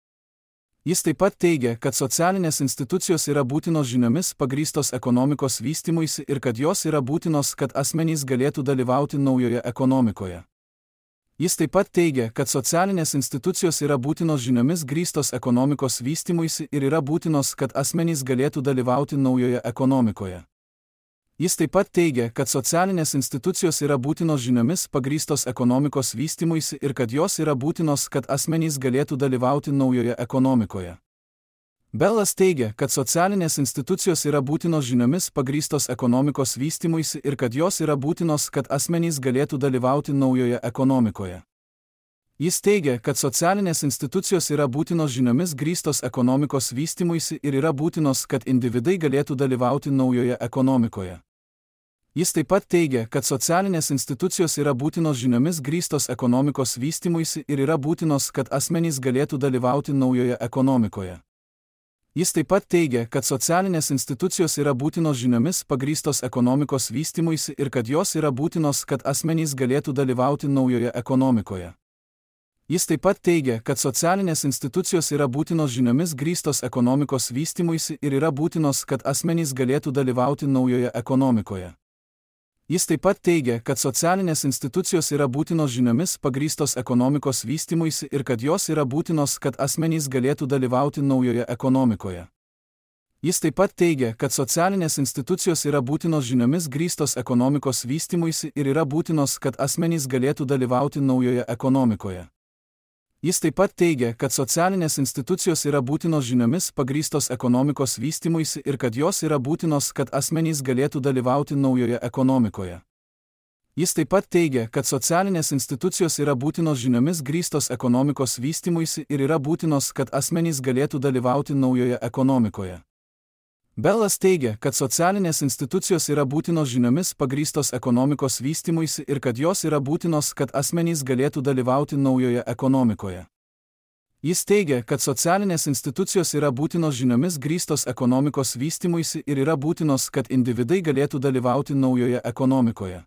Speaker 1: Jis taip pat teigia, kad socialinės institucijos yra būtinos žiniomis pagrįstos ekonomikos vystymuisi ir kad jos yra būtinos, kad asmenys galėtų dalyvauti naujoje ekonomikoje. Jis taip pat teigia, kad socialinės institucijos yra būtinos žiniomis grįstos ekonomikos vystymuisi ir yra būtinos, kad asmenys galėtų dalyvauti naujoje ekonomikoje. Jis taip pat teigia, kad socialinės institucijos yra būtinos žiniomis pagrįstos ekonomikos vystymuisi ir kad jos yra būtinos, kad asmenys galėtų dalyvauti naujoje ekonomikoje. Bellas teigia, kad socialinės institucijos yra būtinos žiniomis pagrįstos ekonomikos vystymuisi ir kad jos yra būtinos, kad asmenys galėtų dalyvauti naujoje ekonomikoje. Jis teigia, kad socialinės institucijos yra būtinos žiniomis grįstos ekonomikos vystymuisi ir yra būtinos, kad individai galėtų dalyvauti naujoje ekonomikoje. Jis taip pat teigia, kad socialinės institucijos yra būtinos žiniomis grįstos ekonomikos vystymuisi ir yra būtinos, kad asmenys galėtų dalyvauti naujoje ekonomikoje. Jis taip pat teigia, kad socialinės institucijos yra būtinos žiniomis pagrįstos ekonomikos vystymuisi ir kad jos yra būtinos, kad asmenys galėtų dalyvauti naujoje ekonomikoje. Jis taip pat teigia, kad socialinės institucijos yra būtinos žiniomis grįstos ekonomikos vystymuisi ir yra būtinos, kad asmenys galėtų dalyvauti naujoje ekonomikoje. Jis taip pat teigia, kad socialinės institucijos yra būtinos žiniomis pagrįstos ekonomikos vystymuisi ir kad jos yra būtinos, kad asmenys galėtų dalyvauti naujoje ekonomikoje. Jis taip pat teigia, kad socialinės institucijos yra būtinos žiniomis grįstos ekonomikos vystymuisi ir yra būtinos, kad asmenys galėtų dalyvauti naujoje ekonomikoje. Jis taip pat teigia, kad socialinės institucijos yra būtinos žiniomis pagrįstos ekonomikos vystymuisi ir kad jos yra būtinos, kad asmenys galėtų dalyvauti naujoje ekonomikoje. Jis taip pat teigia, kad socialinės institucijos yra būtinos žiniomis grįstos ekonomikos vystymuisi ir yra būtinos, kad asmenys galėtų dalyvauti naujoje ekonomikoje. Bellas teigia, kad socialinės institucijos yra būtinos žiniomis pagrįstos ekonomikos vystymuisi ir kad jos yra būtinos, kad asmenys galėtų dalyvauti naujoje ekonomikoje. Jis teigia, kad socialinės institucijos yra būtinos žiniomis grįstos ekonomikos vystymuisi ir yra būtinos, kad individai galėtų dalyvauti naujoje ekonomikoje.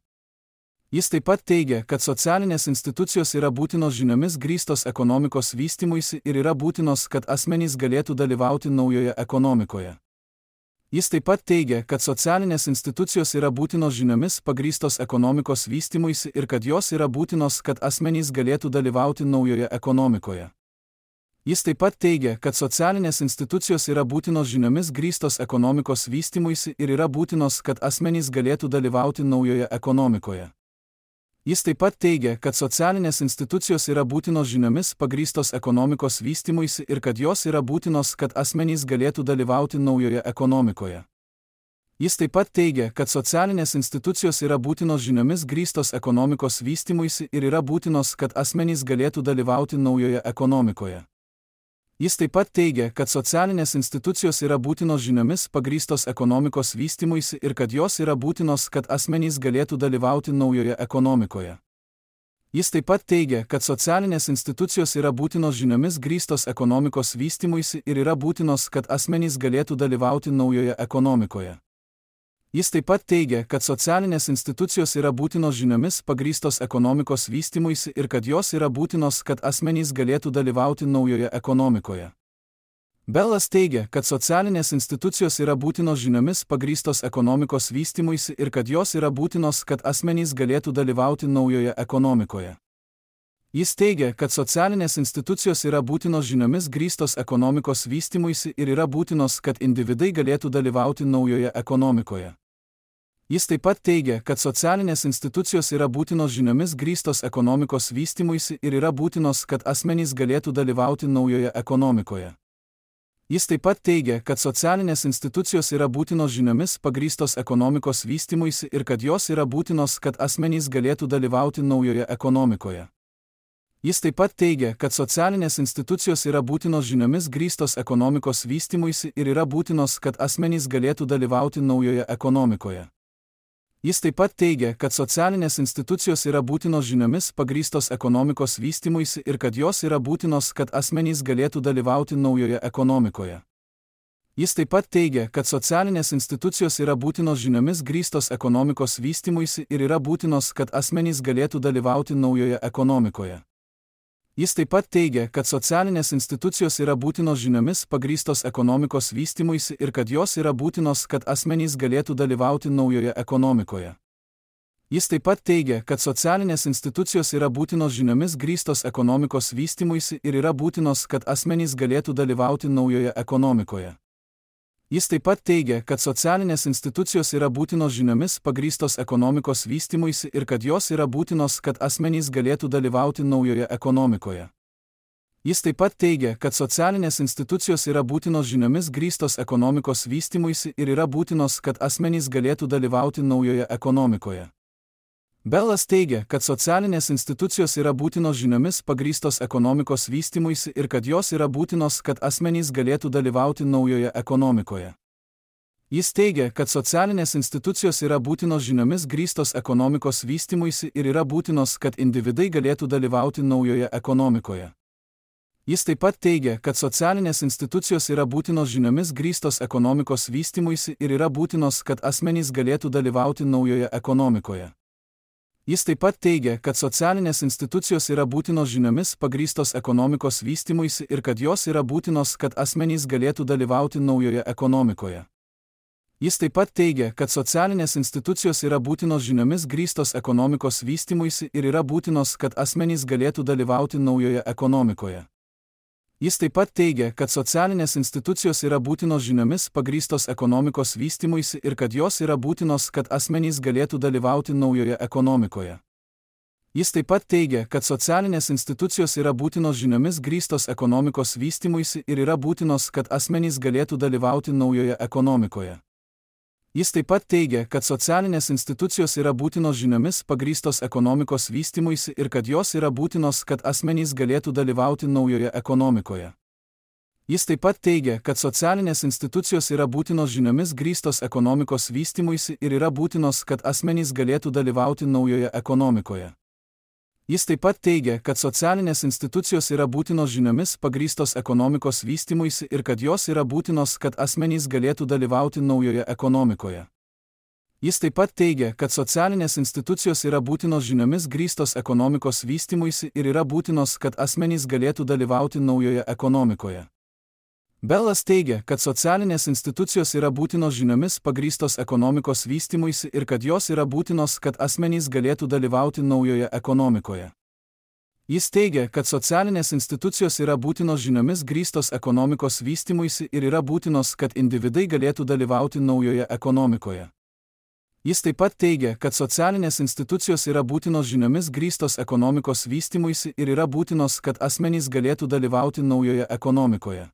Speaker 1: Jis taip pat teigia, kad socialinės institucijos yra būtinos žiniomis grįstos ekonomikos vystymuisi ir yra būtinos, kad asmenys galėtų dalyvauti naujoje ekonomikoje. Jis taip pat teigia, kad socialinės institucijos yra būtinos žiniomis pagrįstos ekonomikos vystymuisi ir kad jos yra būtinos, kad asmenys galėtų dalyvauti naujoje ekonomikoje. Jis taip pat teigia, kad socialinės institucijos yra būtinos žiniomis grįstos ekonomikos vystymuisi ir yra būtinos, kad asmenys galėtų dalyvauti naujoje ekonomikoje. Jis taip pat teigia, kad socialinės institucijos yra būtinos žiniomis pagrįstos ekonomikos vystymuisi ir kad jos yra būtinos, kad asmenys galėtų dalyvauti naujoje ekonomikoje. Jis taip pat teigia, kad socialinės institucijos yra būtinos žiniomis grįstos ekonomikos vystymuisi ir yra būtinos, kad asmenys galėtų dalyvauti naujoje ekonomikoje. Jis taip pat teigia, kad socialinės institucijos yra būtinos žiniomis pagrįstos ekonomikos vystymuisi ir kad jos yra būtinos, kad asmenys galėtų dalyvauti naujoje ekonomikoje. Jis taip pat teigia, kad socialinės institucijos yra būtinos žiniomis grįstos ekonomikos vystymuisi ir yra būtinos, kad asmenys galėtų dalyvauti naujoje ekonomikoje. Jis taip pat teigia, kad socialinės institucijos yra būtinos žiniomis pagrįstos ekonomikos vystymuisi ir kad jos yra būtinos, kad asmenys galėtų dalyvauti naujoje ekonomikoje. Bellas teigia, kad socialinės institucijos yra būtinos žiniomis pagrįstos ekonomikos vystymuisi ir kad jos yra būtinos, kad asmenys galėtų dalyvauti naujoje ekonomikoje. Jis teigia, kad socialinės institucijos yra būtinos žiniomis grįstos ekonomikos vystymuisi ir yra būtinos, kad individai galėtų dalyvauti naujoje ekonomikoje. Jis taip pat teigia, kad socialinės institucijos yra būtinos žiniomis grįstos ekonomikos vystymuisi ir yra būtinos, kad asmenys galėtų dalyvauti naujoje ekonomikoje. Jis taip pat teigia, kad socialinės institucijos yra būtinos žiniomis pagrįstos ekonomikos vystymuisi ir kad jos yra būtinos, kad asmenys galėtų dalyvauti naujoje ekonomikoje. Jis taip pat teigia, kad socialinės institucijos yra būtinos žiniomis grįstos ekonomikos vystymuisi ir yra būtinos, kad asmenys galėtų dalyvauti naujoje ekonomikoje. Jis taip pat teigia, kad socialinės institucijos yra būtinos žiniomis pagrįstos ekonomikos vystymuisi ir kad jos yra būtinos, kad asmenys galėtų dalyvauti naujoje ekonomikoje. Jis taip pat teigia, kad socialinės institucijos yra būtinos žiniomis grįstos ekonomikos vystymuisi ir yra būtinos, kad asmenys galėtų dalyvauti naujoje ekonomikoje. Jis taip pat teigia, kad socialinės institucijos yra būtinos žiniomis pagrįstos ekonomikos vystymuisi ir kad jos yra būtinos, kad asmenys galėtų dalyvauti naujoje ekonomikoje. Jis taip pat teigia, kad socialinės institucijos yra būtinos žiniomis grįstos ekonomikos vystymuisi ir yra būtinos, kad asmenys galėtų dalyvauti naujoje ekonomikoje. Jis taip pat teigia, kad socialinės institucijos yra būtinos žiniomis pagrįstos ekonomikos vystymuisi ir kad jos yra būtinos, kad asmenys galėtų dalyvauti naujoje ekonomikoje. Jis taip pat teigia, kad socialinės institucijos yra būtinos žiniomis grįstos ekonomikos vystymuisi ir yra būtinos, kad asmenys galėtų dalyvauti naujoje ekonomikoje. Bellas teigia, kad socialinės institucijos yra būtinos žiniomis pagrįstos ekonomikos vystymuisi ir kad jos yra būtinos, kad asmenys galėtų dalyvauti naujoje ekonomikoje. Jis teigia, kad socialinės institucijos yra būtinos žiniomis grįstos ekonomikos vystymuisi ir yra būtinos, kad individai galėtų dalyvauti naujoje ekonomikoje. Jis taip pat teigia, kad socialinės institucijos yra būtinos žiniomis grįstos ekonomikos vystymuisi ir yra būtinos, kad asmenys galėtų dalyvauti naujoje ekonomikoje. Jis taip pat teigia, kad socialinės institucijos yra būtinos žiniomis pagrįstos ekonomikos vystymuisi ir kad jos yra būtinos, kad asmenys galėtų dalyvauti naujoje ekonomikoje. Jis taip pat teigia, kad socialinės institucijos yra būtinos žiniomis grįstos ekonomikos vystymuisi ir yra būtinos, kad asmenys galėtų dalyvauti naujoje ekonomikoje. Jis taip pat teigia, kad socialinės institucijos yra būtinos žiniomis pagrįstos ekonomikos vystymuisi ir kad jos yra būtinos, kad asmenys galėtų dalyvauti naujoje ekonomikoje. Jis taip pat teigia, kad socialinės institucijos yra būtinos žiniomis grįstos ekonomikos vystymuisi ir yra būtinos, kad asmenys galėtų dalyvauti naujoje ekonomikoje. Jis taip pat teigia, kad socialinės institucijos yra būtinos žiniomis pagrįstos ekonomikos vystymuisi ir kad jos yra būtinos, kad asmenys galėtų dalyvauti naujoje ekonomikoje. Jis taip pat teigia, kad socialinės institucijos yra būtinos žiniomis grįstos ekonomikos vystymuisi ir yra būtinos, kad asmenys galėtų dalyvauti naujoje ekonomikoje. Jis taip pat teigia, kad socialinės institucijos yra būtinos žiniomis pagrįstos ekonomikos vystymuisi ir kad jos yra būtinos, kad asmenys galėtų dalyvauti naujoje ekonomikoje. Jis taip pat teigia, kad socialinės institucijos yra būtinos žiniomis grįstos ekonomikos vystymuisi ir yra būtinos, kad asmenys galėtų dalyvauti naujoje ekonomikoje. Bellas teigia, kad socialinės institucijos yra būtinos žiniomis pagrįstos ekonomikos vystymuisi ir kad jos yra būtinos, kad asmenys galėtų dalyvauti naujoje ekonomikoje. Jis teigia, kad socialinės institucijos yra būtinos žiniomis grįstos ekonomikos vystymuisi ir yra būtinos, kad individai galėtų dalyvauti naujoje ekonomikoje. Jis taip pat teigia, kad socialinės institucijos yra būtinos žiniomis grįstos ekonomikos vystymuisi ir yra būtinos, kad asmenys galėtų dalyvauti naujoje ekonomikoje.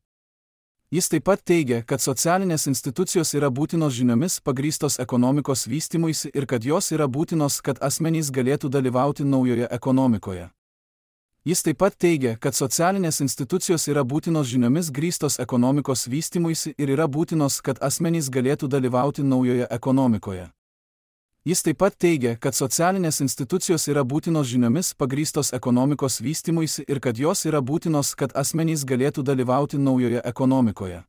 Speaker 1: Jis taip pat teigia, kad socialinės institucijos yra būtinos žiniomis pagrįstos ekonomikos vystymuisi ir kad jos yra būtinos, kad asmenys galėtų dalyvauti naujoje ekonomikoje. Jis taip pat teigia, kad socialinės institucijos yra būtinos žiniomis grįstos ekonomikos vystymuisi ir yra būtinos, kad asmenys galėtų dalyvauti naujoje ekonomikoje. Jis taip pat teigia, kad socialinės institucijos yra būtinos žiniomis pagrįstos ekonomikos vystymuisi ir kad jos yra būtinos, kad asmenys galėtų dalyvauti naujoje ekonomikoje.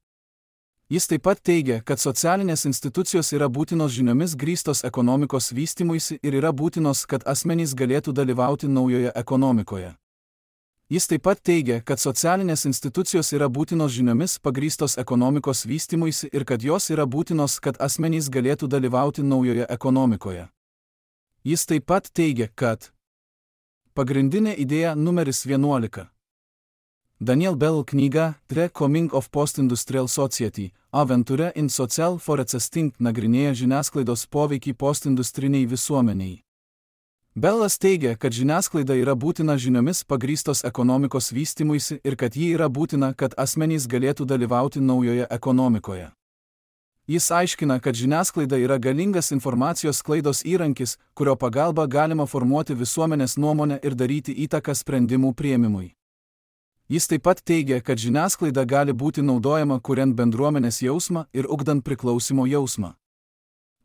Speaker 1: Jis taip pat teigia, kad socialinės institucijos yra būtinos žiniomis grįstos ekonomikos vystymuisi ir yra būtinos, kad asmenys galėtų dalyvauti naujoje ekonomikoje. Jis taip pat teigia, kad socialinės institucijos yra būtinos žiniomis pagrįstos ekonomikos vystymuisi ir kad jos yra būtinos, kad asmenys galėtų dalyvauti naujoje ekonomikoje. Jis taip pat teigia, kad pagrindinė idėja numeris 11. Daniel Bell knyga The Coming of Post-Industrial Society – Aventure in Social Forecasting nagrinėja žiniasklaidos poveikį postindustriniai visuomeniai. Bellas teigia, kad žiniasklaida yra būtina žiniomis pagrįstos ekonomikos vystymuisi ir kad ji yra būtina, kad asmenys galėtų dalyvauti naujoje ekonomikoje. Jis aiškina, kad žiniasklaida yra galingas informacijos sklaidos įrankis, kurio pagalba galima formuoti visuomenės nuomonę ir daryti įtaką sprendimų priėmimui. Jis taip pat teigia, kad žiniasklaida gali būti naudojama kuriant bendruomenės jausmą ir ugdant priklausimo jausmą.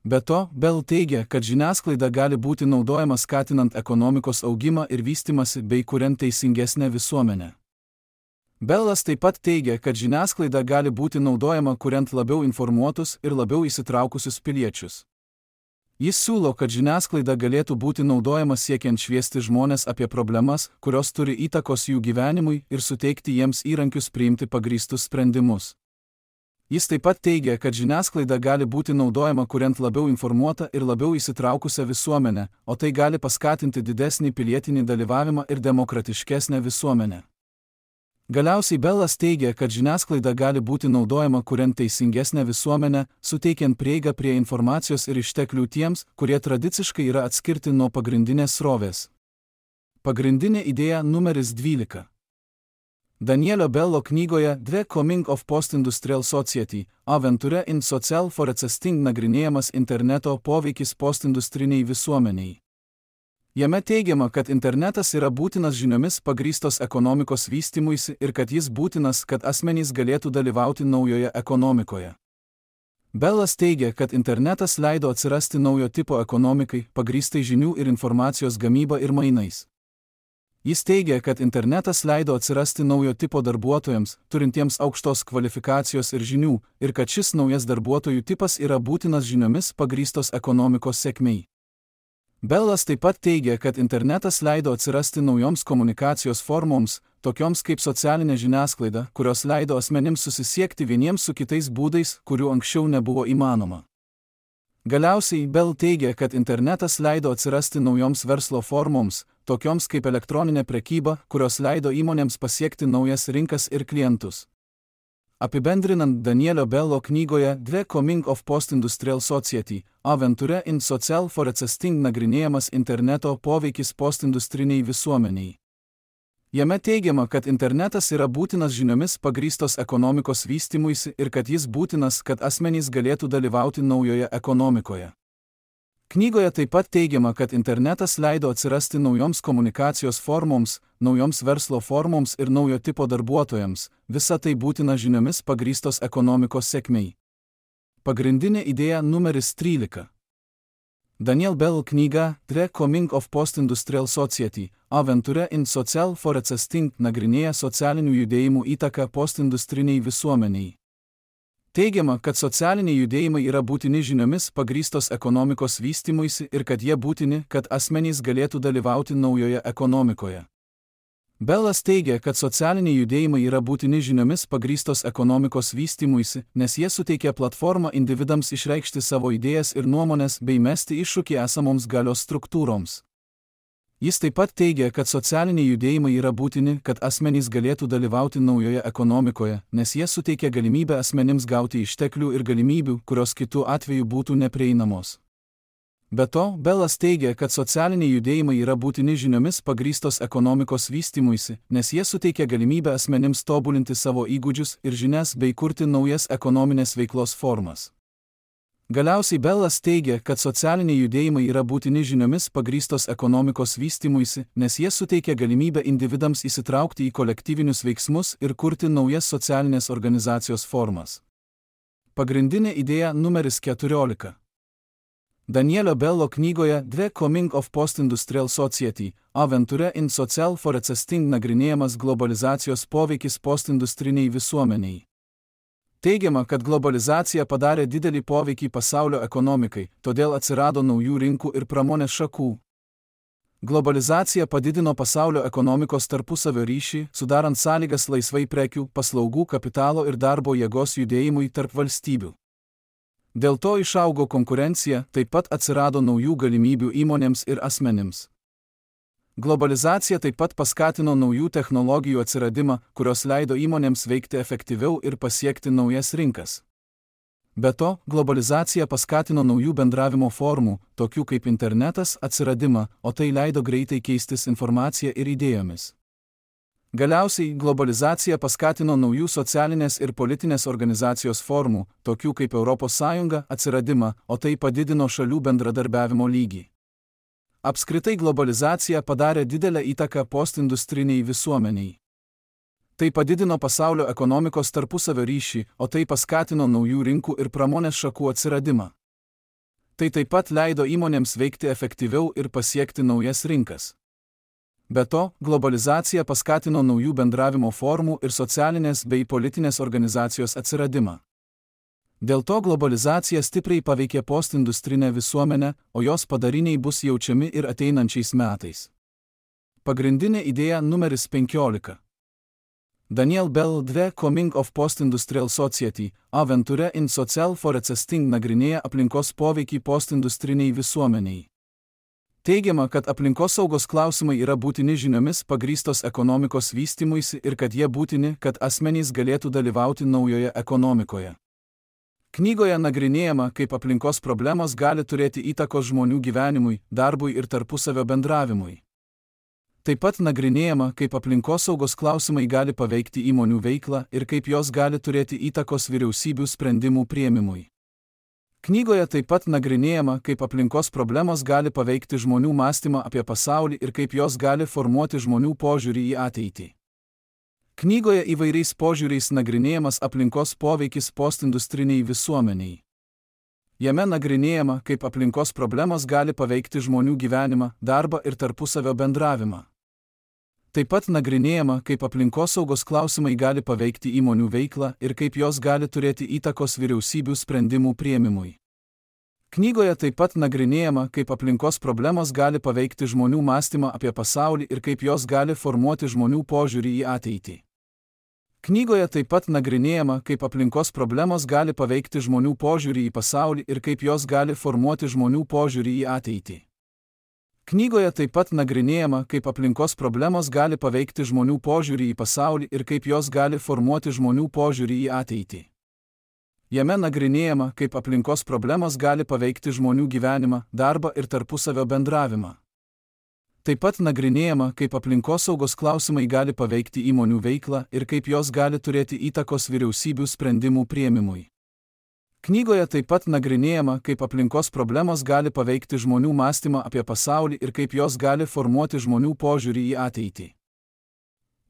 Speaker 1: Be to, Bell teigia, kad žiniasklaida gali būti naudojama skatinant ekonomikos augimą ir vystymąsi bei kuriant teisingesnę visuomenę. Bellas taip pat teigia, kad žiniasklaida gali būti naudojama kuriant labiau informuotus ir labiau įsitraukusius piliečius. Jis siūlo, kad žiniasklaida galėtų būti naudojama siekiant šviesti žmonės apie problemas, kurios turi įtakos jų gyvenimui ir suteikti jiems įrankius priimti pagrįstus sprendimus. Jis taip pat teigia, kad žiniasklaida gali būti naudojama kuriant labiau informuotą ir labiau įsitraukusią visuomenę, o tai gali paskatinti didesnį pilietinį dalyvavimą ir demokratiškesnę visuomenę. Galiausiai Bellas teigia, kad žiniasklaida gali būti naudojama kuriant teisingesnę visuomenę, suteikiant prieigą prie informacijos ir išteklių tiems, kurie tradiciškai yra atskirti nuo pagrindinės srovės. Pagrindinė idėja numeris 12. Danielio Bello knygoje The Coming of Post-Industrial Society – Aventure in Social Forecasting nagrinėjamas interneto poveikis postindustriniai visuomeniai. Jame teigiama, kad internetas yra būtinas žiniomis pagrįstos ekonomikos vystymuisi ir kad jis būtinas, kad asmenys galėtų dalyvauti naujoje ekonomikoje. Bellas teigia, kad internetas leido atsirasti naujo tipo ekonomikai, pagrįstai žinių ir informacijos gamyba ir mainais. Jis teigia, kad internetas leido atsirasti naujo tipo darbuotojams, turintiems aukštos kvalifikacijos ir žinių, ir kad šis naujas darbuotojų tipas yra būtinas žiniomis pagrįstos ekonomikos sėkmei. Bellas taip pat teigia, kad internetas leido atsirasti naujoms komunikacijos formoms, tokioms kaip socialinė žiniasklaida, kurios leido asmenims susisiekti vieniems su kitais būdais, kurių anksčiau nebuvo įmanoma. Galiausiai Bell teigia, kad internetas leido atsirasti naujoms verslo formoms, tokioms kaip elektroninė prekyba, kurios leido įmonėms pasiekti naujas rinkas ir klientus. Apibendrinant Danielio Bello knygoje The Coming of Post-Industrial Society – Aventure in Social Forecasting nagrinėjamas interneto poveikis postindustriniai visuomeniai. Jame teigiama, kad internetas yra būtinas žiniomis pagrįstos ekonomikos vystymuisi ir kad jis būtinas, kad asmenys galėtų dalyvauti naujoje ekonomikoje. Knygoje taip pat teigiama, kad internetas leido atsirasti naujoms komunikacijos formoms, naujoms verslo formoms ir naujo tipo darbuotojams, visa tai būtina žiniomis pagrįstos ekonomikos sėkmei. Pagrindinė idėja numeris 13. Daniel Bell knyga The Coming of Post-Industrial Society – Aventure in Social Forecasting nagrinėja socialinių judėjimų įtaką postindustriniai visuomeniai. Teigiama, kad socialiniai judėjimai yra būtini žiniomis pagrįstos ekonomikos vystymuisi ir kad jie būtini, kad asmenys galėtų dalyvauti naujoje ekonomikoje. Bellas teigia, kad socialiniai judėjimai yra būtini žiniomis pagrįstos ekonomikos vystymuisi, nes jie suteikia platformą individams išreikšti savo idėjas ir nuomonės bei mesti iššūkį esamoms galios struktūroms. Jis taip pat teigia, kad socialiniai judėjimai yra būtini, kad asmenys galėtų dalyvauti naujoje ekonomikoje, nes jie suteikia galimybę asmenims gauti išteklių ir galimybių, kurios kitų atveju būtų neprieinamos. Be to, Bellas teigia, kad socialiniai judėjimai yra būtini žiniomis pagrįstos ekonomikos vystymuisi, nes jie suteikia galimybę asmenims tobulinti savo įgūdžius ir žinias bei kurti naujas ekonominės veiklos formas. Galiausiai Bellas teigia, kad socialiniai judėjimai yra būtini žiniomis pagrįstos ekonomikos vystymuisi, nes jie suteikia galimybę individams įsitraukti į kolektyvinius veiksmus ir kurti naujas socialinės organizacijos formas. Pagrindinė idėja numeris 14. Danielio Bello knygoje The Coming of Post-Industrial Society – Aventure in Social Forecasting nagrinėjamas globalizacijos poveikis postindustriniai visuomeniai. Teigiama, kad globalizacija padarė didelį poveikį pasaulio ekonomikai, todėl atsirado naujų rinkų ir pramonės šakų. Globalizacija padidino pasaulio ekonomikos tarpusavio ryšį, sudarant sąlygas laisvai prekių, paslaugų, kapitalo ir darbo jėgos judėjimui tarp valstybių. Dėl to išaugo konkurencija, taip pat atsirado naujų galimybių įmonėms ir asmenims. Globalizacija taip pat paskatino naujų technologijų atsiradimą, kurios leido įmonėms veikti efektyviau ir pasiekti naujas rinkas. Be to, globalizacija paskatino naujų bendravimo formų, tokių kaip internetas, atsiradimą, o tai leido greitai keistis informacija ir idėjomis. Galiausiai, globalizacija paskatino naujų socialinės ir politinės organizacijos formų, tokių kaip Europos Sąjunga, atsiradimą, o tai padidino šalių bendradarbiavimo lygį. Apskritai globalizacija padarė didelę įtaką postindustriniai visuomeniai. Tai padidino pasaulio ekonomikos tarpusavio ryšį, o tai paskatino naujų rinkų ir pramonės šakų atsiradimą. Tai taip pat leido įmonėms veikti efektyviau ir pasiekti naujas rinkas. Be to, globalizacija paskatino naujų bendravimo formų ir socialinės bei politinės organizacijos atsiradimą. Dėl to globalizacija stipriai paveikė postindustrinę visuomenę, o jos padariniai bus jaučiami ir ateinančiais metais. Pagrindinė idėja numeris 15. Daniel Bell 2 Coming of Post-Industrial Society, Aventure in Social Forecasting nagrinėja aplinkos poveikį postindustriniai visuomeniai. Teigiama, kad aplinkosaugos klausimai yra būtini žiniomis pagrįstos ekonomikos vystymuisi ir kad jie būtini, kad asmenys galėtų dalyvauti naujoje ekonomikoje. Knygoje nagrinėjama, kaip aplinkos problemos gali turėti įtakos žmonių gyvenimui, darbui ir tarpusavio bendravimui. Taip pat nagrinėjama, kaip aplinkosaugos klausimai gali paveikti įmonių veiklą ir kaip jos gali turėti įtakos vyriausybių sprendimų priėmimui. Knygoje taip pat nagrinėjama, kaip aplinkos problemos gali paveikti žmonių mąstymą apie pasaulį ir kaip jos gali formuoti žmonių požiūrį į ateitį. Knygoje įvairiais požiūriais nagrinėjamas aplinkos poveikis postindustriniai visuomeniai. Jame nagrinėjama, kaip aplinkos problemos gali paveikti žmonių gyvenimą, darbą ir tarpusavio bendravimą. Taip pat nagrinėjama, kaip aplinkosaugos klausimai gali paveikti įmonių veiklą ir kaip jos gali turėti įtakos vyriausybių sprendimų priėmimui. Knygoje taip pat nagrinėjama, kaip aplinkos problemos gali paveikti žmonių mąstymą apie pasaulį ir kaip jos gali formuoti žmonių požiūrį į ateitį. Knygoje taip pat nagrinėjama, kaip aplinkos problemos gali paveikti žmonių požiūrį į pasaulį ir kaip jos gali formuoti žmonių požiūrį į ateitį. Knygoje taip pat nagrinėjama, kaip aplinkos problemos gali paveikti žmonių požiūrį į pasaulį ir kaip jos gali formuoti žmonių požiūrį į ateitį. Jame nagrinėjama, kaip aplinkos problemos gali paveikti žmonių gyvenimą, darbą ir tarpusavio bendravimą. Taip pat nagrinėjama, kaip aplinkosaugos klausimai gali paveikti įmonių veiklą ir kaip jos gali turėti įtakos vyriausybių sprendimų priėmimui. Knygoje taip pat nagrinėjama, kaip aplinkos problemos gali paveikti žmonių mąstymą apie pasaulį ir kaip jos gali formuoti žmonių požiūrį į ateitį.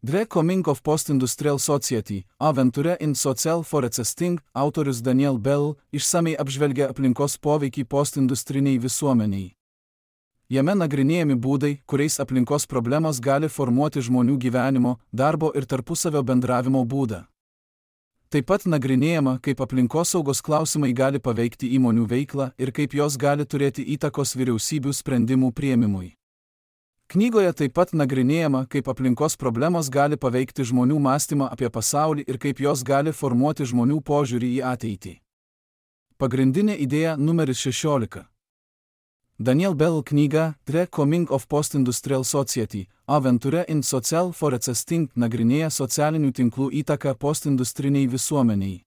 Speaker 1: The Coming of Post-Industrial Society, Aventure in Social Forecasting, autorius Daniel Bell, išsamei apžvelgia aplinkos poveikį postindustriniai visuomeniai. Jame nagrinėjami būdai, kuriais aplinkos problemos gali formuoti žmonių gyvenimo, darbo ir tarpusavio bendravimo būdą. Taip pat nagrinėjama, kaip aplinkosaugos klausimai gali paveikti įmonių veiklą ir kaip jos gali turėti įtakos vyriausybių sprendimų priėmimui. Knygoje taip pat nagrinėjama, kaip aplinkos problemos gali paveikti žmonių mąstymą apie pasaulį ir kaip jos gali formuoti žmonių požiūrį į ateitį. Pagrindinė idėja numeris 16. Daniel Bell knyga The Coming of Post-Industrial Society, Aventure in Social Forecasting nagrinėja socialinių tinklų įtaką postindustriniai visuomeniai.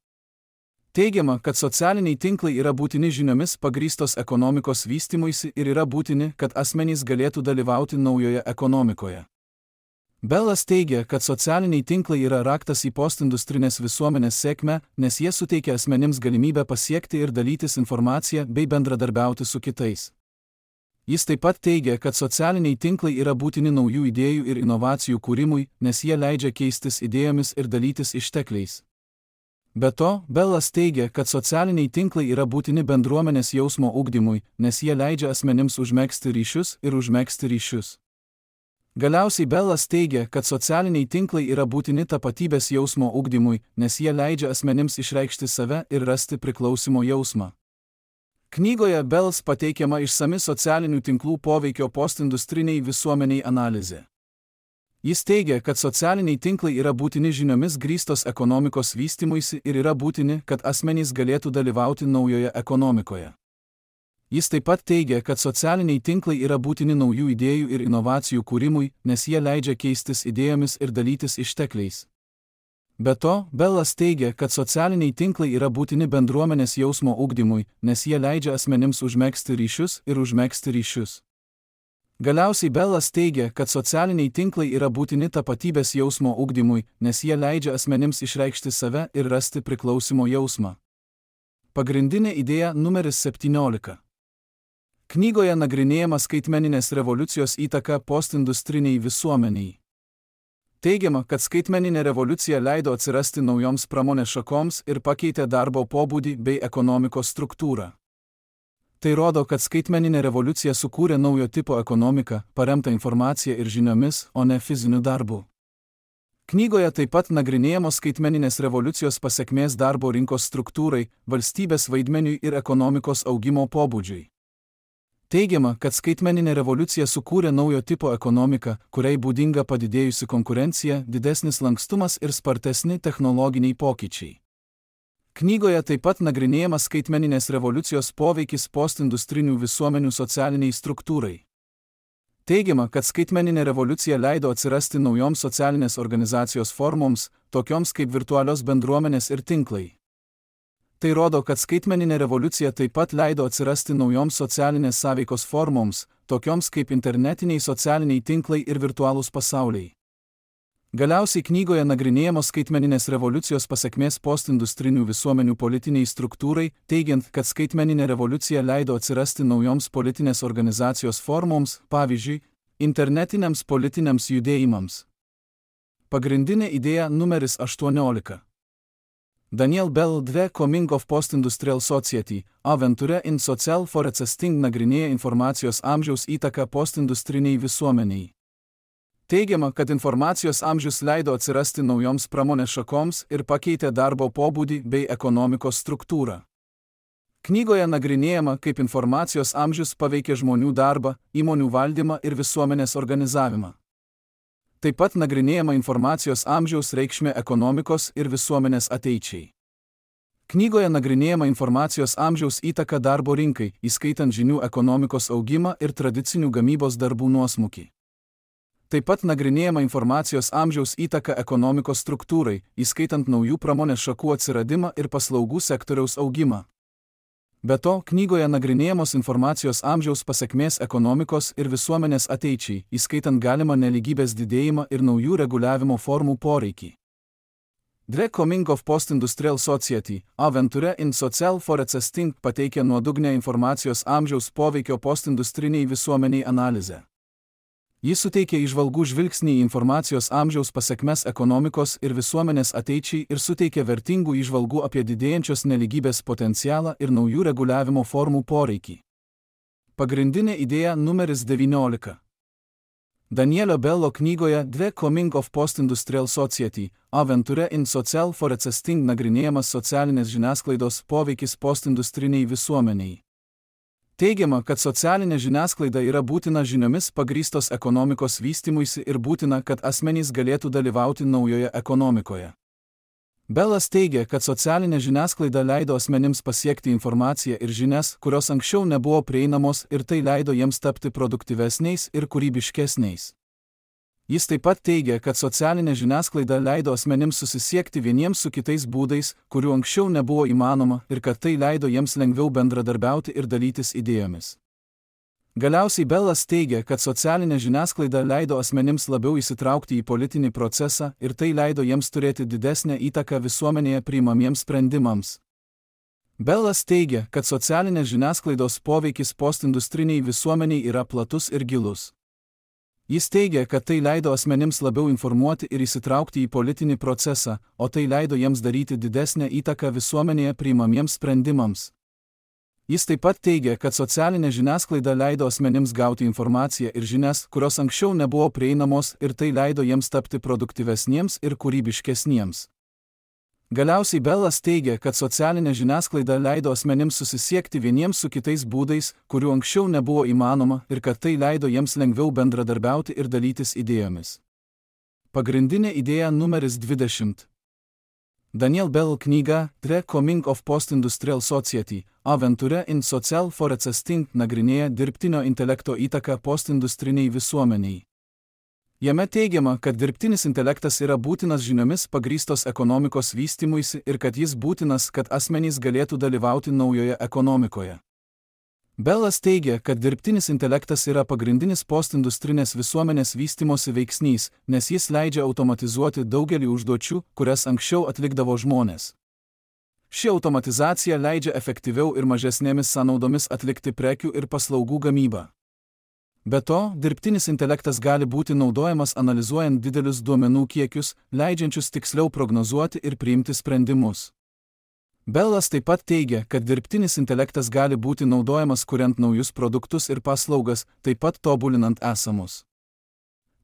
Speaker 1: Teigiama, kad socialiniai tinklai yra būtini žiniomis pagrįstos ekonomikos vystymuisi ir yra būtini, kad asmenys galėtų dalyvauti naujoje ekonomikoje. Bellas teigia, kad socialiniai tinklai yra raktas į postindustrinės visuomenės sėkmę, nes jie suteikia asmenims galimybę pasiekti ir dalytis informaciją bei bendradarbiauti su kitais. Jis taip pat teigia, kad socialiniai tinklai yra būtini naujų idėjų ir inovacijų kūrimui, nes jie leidžia keistis idėjomis ir dalytis ištekliais. Be to, Bellas teigia, kad socialiniai tinklai yra būtini bendruomenės jausmo ugdymui, nes jie leidžia asmenims užmegzti ryšius ir užmegzti ryšius. Galiausiai Bellas teigia, kad socialiniai tinklai yra būtini tapatybės jausmo ugdymui, nes jie leidžia asmenims išreikšti save ir rasti priklausimo jausmą. Knygoje Bellas pateikiama išsami socialinių tinklų poveikio postindustriniai visuomeniai analizė. Jis teigia, kad socialiniai tinklai yra būtini žiniomis grįstos ekonomikos vystymuisi ir yra būtini, kad asmenys galėtų dalyvauti naujoje ekonomikoje. Jis taip pat teigia, kad socialiniai tinklai yra būtini naujų idėjų ir inovacijų kūrimui, nes jie leidžia keistis idėjomis ir dalytis ištekliais. Be to, Bellas teigia, kad socialiniai tinklai yra būtini bendruomenės jausmo ugdymui, nes jie leidžia asmenims užmegzti ryšius ir užmegzti ryšius. Galiausiai Bellas teigia, kad socialiniai tinklai yra būtini tapatybės jausmo ugdymui, nes jie leidžia asmenims išreikšti save ir rasti priklausimo jausmą. Pagrindinė idėja numeris 17. Knygoje nagrinėjama skaitmeninės revoliucijos įtaka postindustriniai visuomeniai. Teigiama, kad skaitmeninė revoliucija leido atsirasti naujoms pramonės šakoms ir pakeitė darbo pobūdį bei ekonomikos struktūrą. Tai rodo, kad skaitmeninė revoliucija sukūrė naujo tipo ekonomiką, paremtą informacija ir žiniomis, o ne fiziniu darbu. Knygoje taip pat nagrinėjamos skaitmeninės revoliucijos pasekmės darbo rinkos struktūrai, valstybės vaidmeniui ir ekonomikos augimo pobūdžiui. Teigiama, kad skaitmeninė revoliucija sukūrė naujo tipo ekonomiką, kuriai būdinga padidėjusi konkurencija, didesnis lankstumas ir spartesni technologiniai pokyčiai. Knygoje taip pat nagrinėjamas skaitmeninės revoliucijos poveikis postindustrinių visuomenių socialiniai struktūrai. Teigiama, kad skaitmeninė revoliucija leido atsirasti naujoms socialinės organizacijos formoms, tokioms kaip virtualios bendruomenės ir tinklai. Tai rodo, kad skaitmeninė revoliucija taip pat leido atsirasti naujoms socialinės sąveikos formoms, tokioms kaip internetiniai socialiniai tinklai ir virtualūs pasauliai. Galiausiai knygoje nagrinėjamos skaitmeninės revoliucijos pasekmės postindustrinių visuomenių politiniai struktūrai, teigiant, kad skaitmeninė revoliucija leido atsirasti naujoms politinės organizacijos formoms, pavyzdžiui, internetiniams politiniams judėjimams. Pagrindinė idėja numeris 18. Daniel Bell The Coming of Post-Industrial Society, Aventure in Social Forecasting nagrinėja informacijos amžiaus įtaką postindustriniai visuomeniai. Teigiama, kad informacijos amžius leido atsirasti naujoms pramonės šakoms ir pakeitė darbo pobūdį bei ekonomikos struktūrą. Knygoje nagrinėjama, kaip informacijos amžius paveikė žmonių darbą, įmonių valdymą ir visuomenės organizavimą. Taip pat nagrinėjama informacijos amžiaus reikšmė ekonomikos ir visuomenės ateičiai. Knygoje nagrinėjama informacijos amžiaus įtaka darbo rinkai, įskaitant žinių ekonomikos augimą ir tradicinių gamybos darbų nuosmukį. Taip pat nagrinėjama informacijos amžiaus įtaka ekonomikos struktūrai, įskaitant naujų pramonės šakų atsiradimą ir paslaugų sektoriaus augimą. Be to, knygoje nagrinėjamos informacijos amžiaus pasekmės ekonomikos ir visuomenės ateičiai, įskaitant galimą nelygybės didėjimą ir naujų reguliavimo formų poreikį. The Coming of Post-Industrial Society, Aventure in Social Forecasting pateikia nuodugnę informacijos amžiaus poveikio postindustriniai visuomeniai analizę. Jis suteikia įžvalgų žvilgsnį į informacijos amžiaus pasekmes ekonomikos ir visuomenės ateičiai ir suteikia vertingų įžvalgų apie didėjančios nelygybės potencialą ir naujų reguliavimo formų poreikį. Pagrindinė idėja numeris 19. Danielio Bello knygoje The Coming of Post-Industrial Society, Aventure in Social Forecasting nagrinėjamas socialinės žiniasklaidos poveikis postindustriniai visuomeniai. Teigiama, kad socialinė žiniasklaida yra būtina žiniomis pagrįstos ekonomikos vystymuisi ir būtina, kad asmenys galėtų dalyvauti naujoje ekonomikoje. Bellas teigia, kad socialinė žiniasklaida leido asmenims pasiekti informaciją ir žinias, kurios anksčiau nebuvo prieinamos ir tai leido jiems tapti produktyvesniais ir kūrybiškesniais. Jis taip pat teigia, kad socialinė žiniasklaida leido asmenims susisiekti vieniems su kitais būdais, kurių anksčiau nebuvo įmanoma ir kad tai leido jiems lengviau bendradarbiauti ir dalytis idėjomis. Galiausiai Bellas teigia, kad socialinė žiniasklaida leido asmenims labiau įsitraukti į politinį procesą ir tai leido jiems turėti didesnę įtaką visuomenėje priimamiems sprendimams. Bellas teigia, kad socialinės žiniasklaidos poveikis postindustriniai visuomeniai yra platus ir gilus. Jis teigia, kad tai leido asmenims labiau informuoti ir įsitraukti į politinį procesą, o tai leido jiems daryti didesnę įtaką visuomenėje priimamiems sprendimams. Jis taip pat teigia, kad socialinė žiniasklaida leido asmenims gauti informaciją ir žinias, kurios anksčiau nebuvo prieinamos ir tai leido jiems tapti produktyvesniems ir kūrybiškesniems. Galiausiai Bellas teigia, kad socialinė žiniasklaida leido asmenims susisiekti vieniems su kitais būdais, kurių anksčiau nebuvo įmanoma ir kad tai leido jiems lengviau bendradarbiauti ir dalytis idėjomis. Pagrindinė idėja numeris 20. Daniel Bell knyga The Coming of Post-Industrial Society, Aventure in Social Forecasting nagrinėja dirbtinio intelekto įtaką postindustriniai visuomeniai. Jame teigiama, kad dirbtinis intelektas yra būtinas žiniomis pagrįstos ekonomikos vystymuisi ir kad jis būtinas, kad asmenys galėtų dalyvauti naujoje ekonomikoje. Bellas teigia, kad dirbtinis intelektas yra pagrindinis postindustrinės visuomenės vystymosi veiksnys, nes jis leidžia automatizuoti daugelį užduočių, kurias anksčiau atlikdavo žmonės. Ši automatizacija leidžia efektyviau ir mažesnėmis sąnaudomis atlikti prekių ir paslaugų gamybą. Be to, dirbtinis intelektas gali būti naudojamas analizuojant didelius duomenų kiekius, leidžiančius tiksliau prognozuoti ir priimti sprendimus. Bellas taip pat teigia, kad dirbtinis intelektas gali būti naudojamas kuriant naujus produktus ir paslaugas, taip pat tobulinant esamus.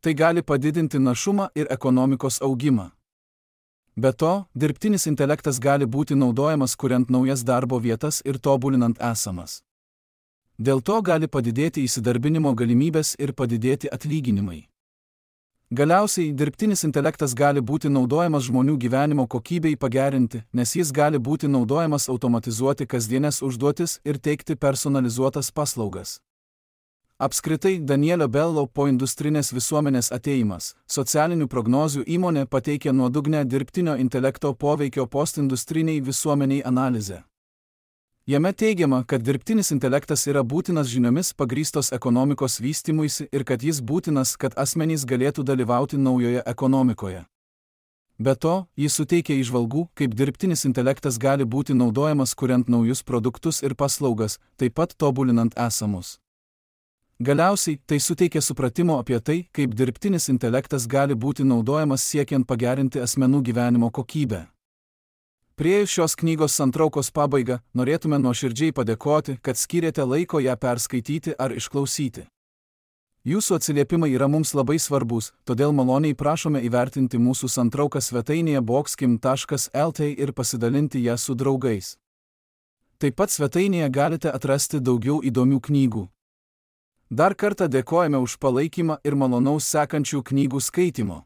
Speaker 1: Tai gali padidinti našumą ir ekonomikos augimą. Be to, dirbtinis intelektas gali būti naudojamas kuriant naujas darbo vietas ir tobulinant esamas. Dėl to gali padidėti įsidarbinimo galimybės ir padidėti atlyginimai. Galiausiai, dirbtinis intelektas gali būti naudojamas žmonių gyvenimo kokybei pagerinti, nes jis gali būti naudojamas automatizuoti kasdienės užduotis ir teikti personalizuotas paslaugas. Apskritai, Danielio Bello poindustrinės visuomenės atėjimas, socialinių prognozių įmonė pateikė nuodugnę dirbtinio intelekto poveikio postindustriniai visuomeniai analizę. Jame teigiama, kad dirbtinis intelektas yra būtinas žiniomis pagrįstos ekonomikos vystymuisi ir kad jis būtinas, kad asmenys galėtų dalyvauti naujoje ekonomikoje. Be to, jis suteikia įžvalgų, kaip dirbtinis intelektas gali būti naudojamas kuriant naujus produktus ir paslaugas, taip pat tobulinant esamus. Galiausiai, tai suteikia supratimo apie tai, kaip dirbtinis intelektas gali būti naudojamas siekiant pagerinti asmenų gyvenimo kokybę. Priėjus šios knygos santraukos pabaigą, norėtume nuoširdžiai padėkoti, kad skyrėte laiko ją perskaityti ar išklausyti. Jūsų atsiliepimai yra mums labai svarbus, todėl maloniai prašome įvertinti mūsų santrauką svetainėje boxkim.lt ir pasidalinti ją su draugais. Taip pat svetainėje galite atrasti daugiau įdomių knygų. Dar kartą dėkojame už palaikymą ir malonaus sekančių knygų skaitymo.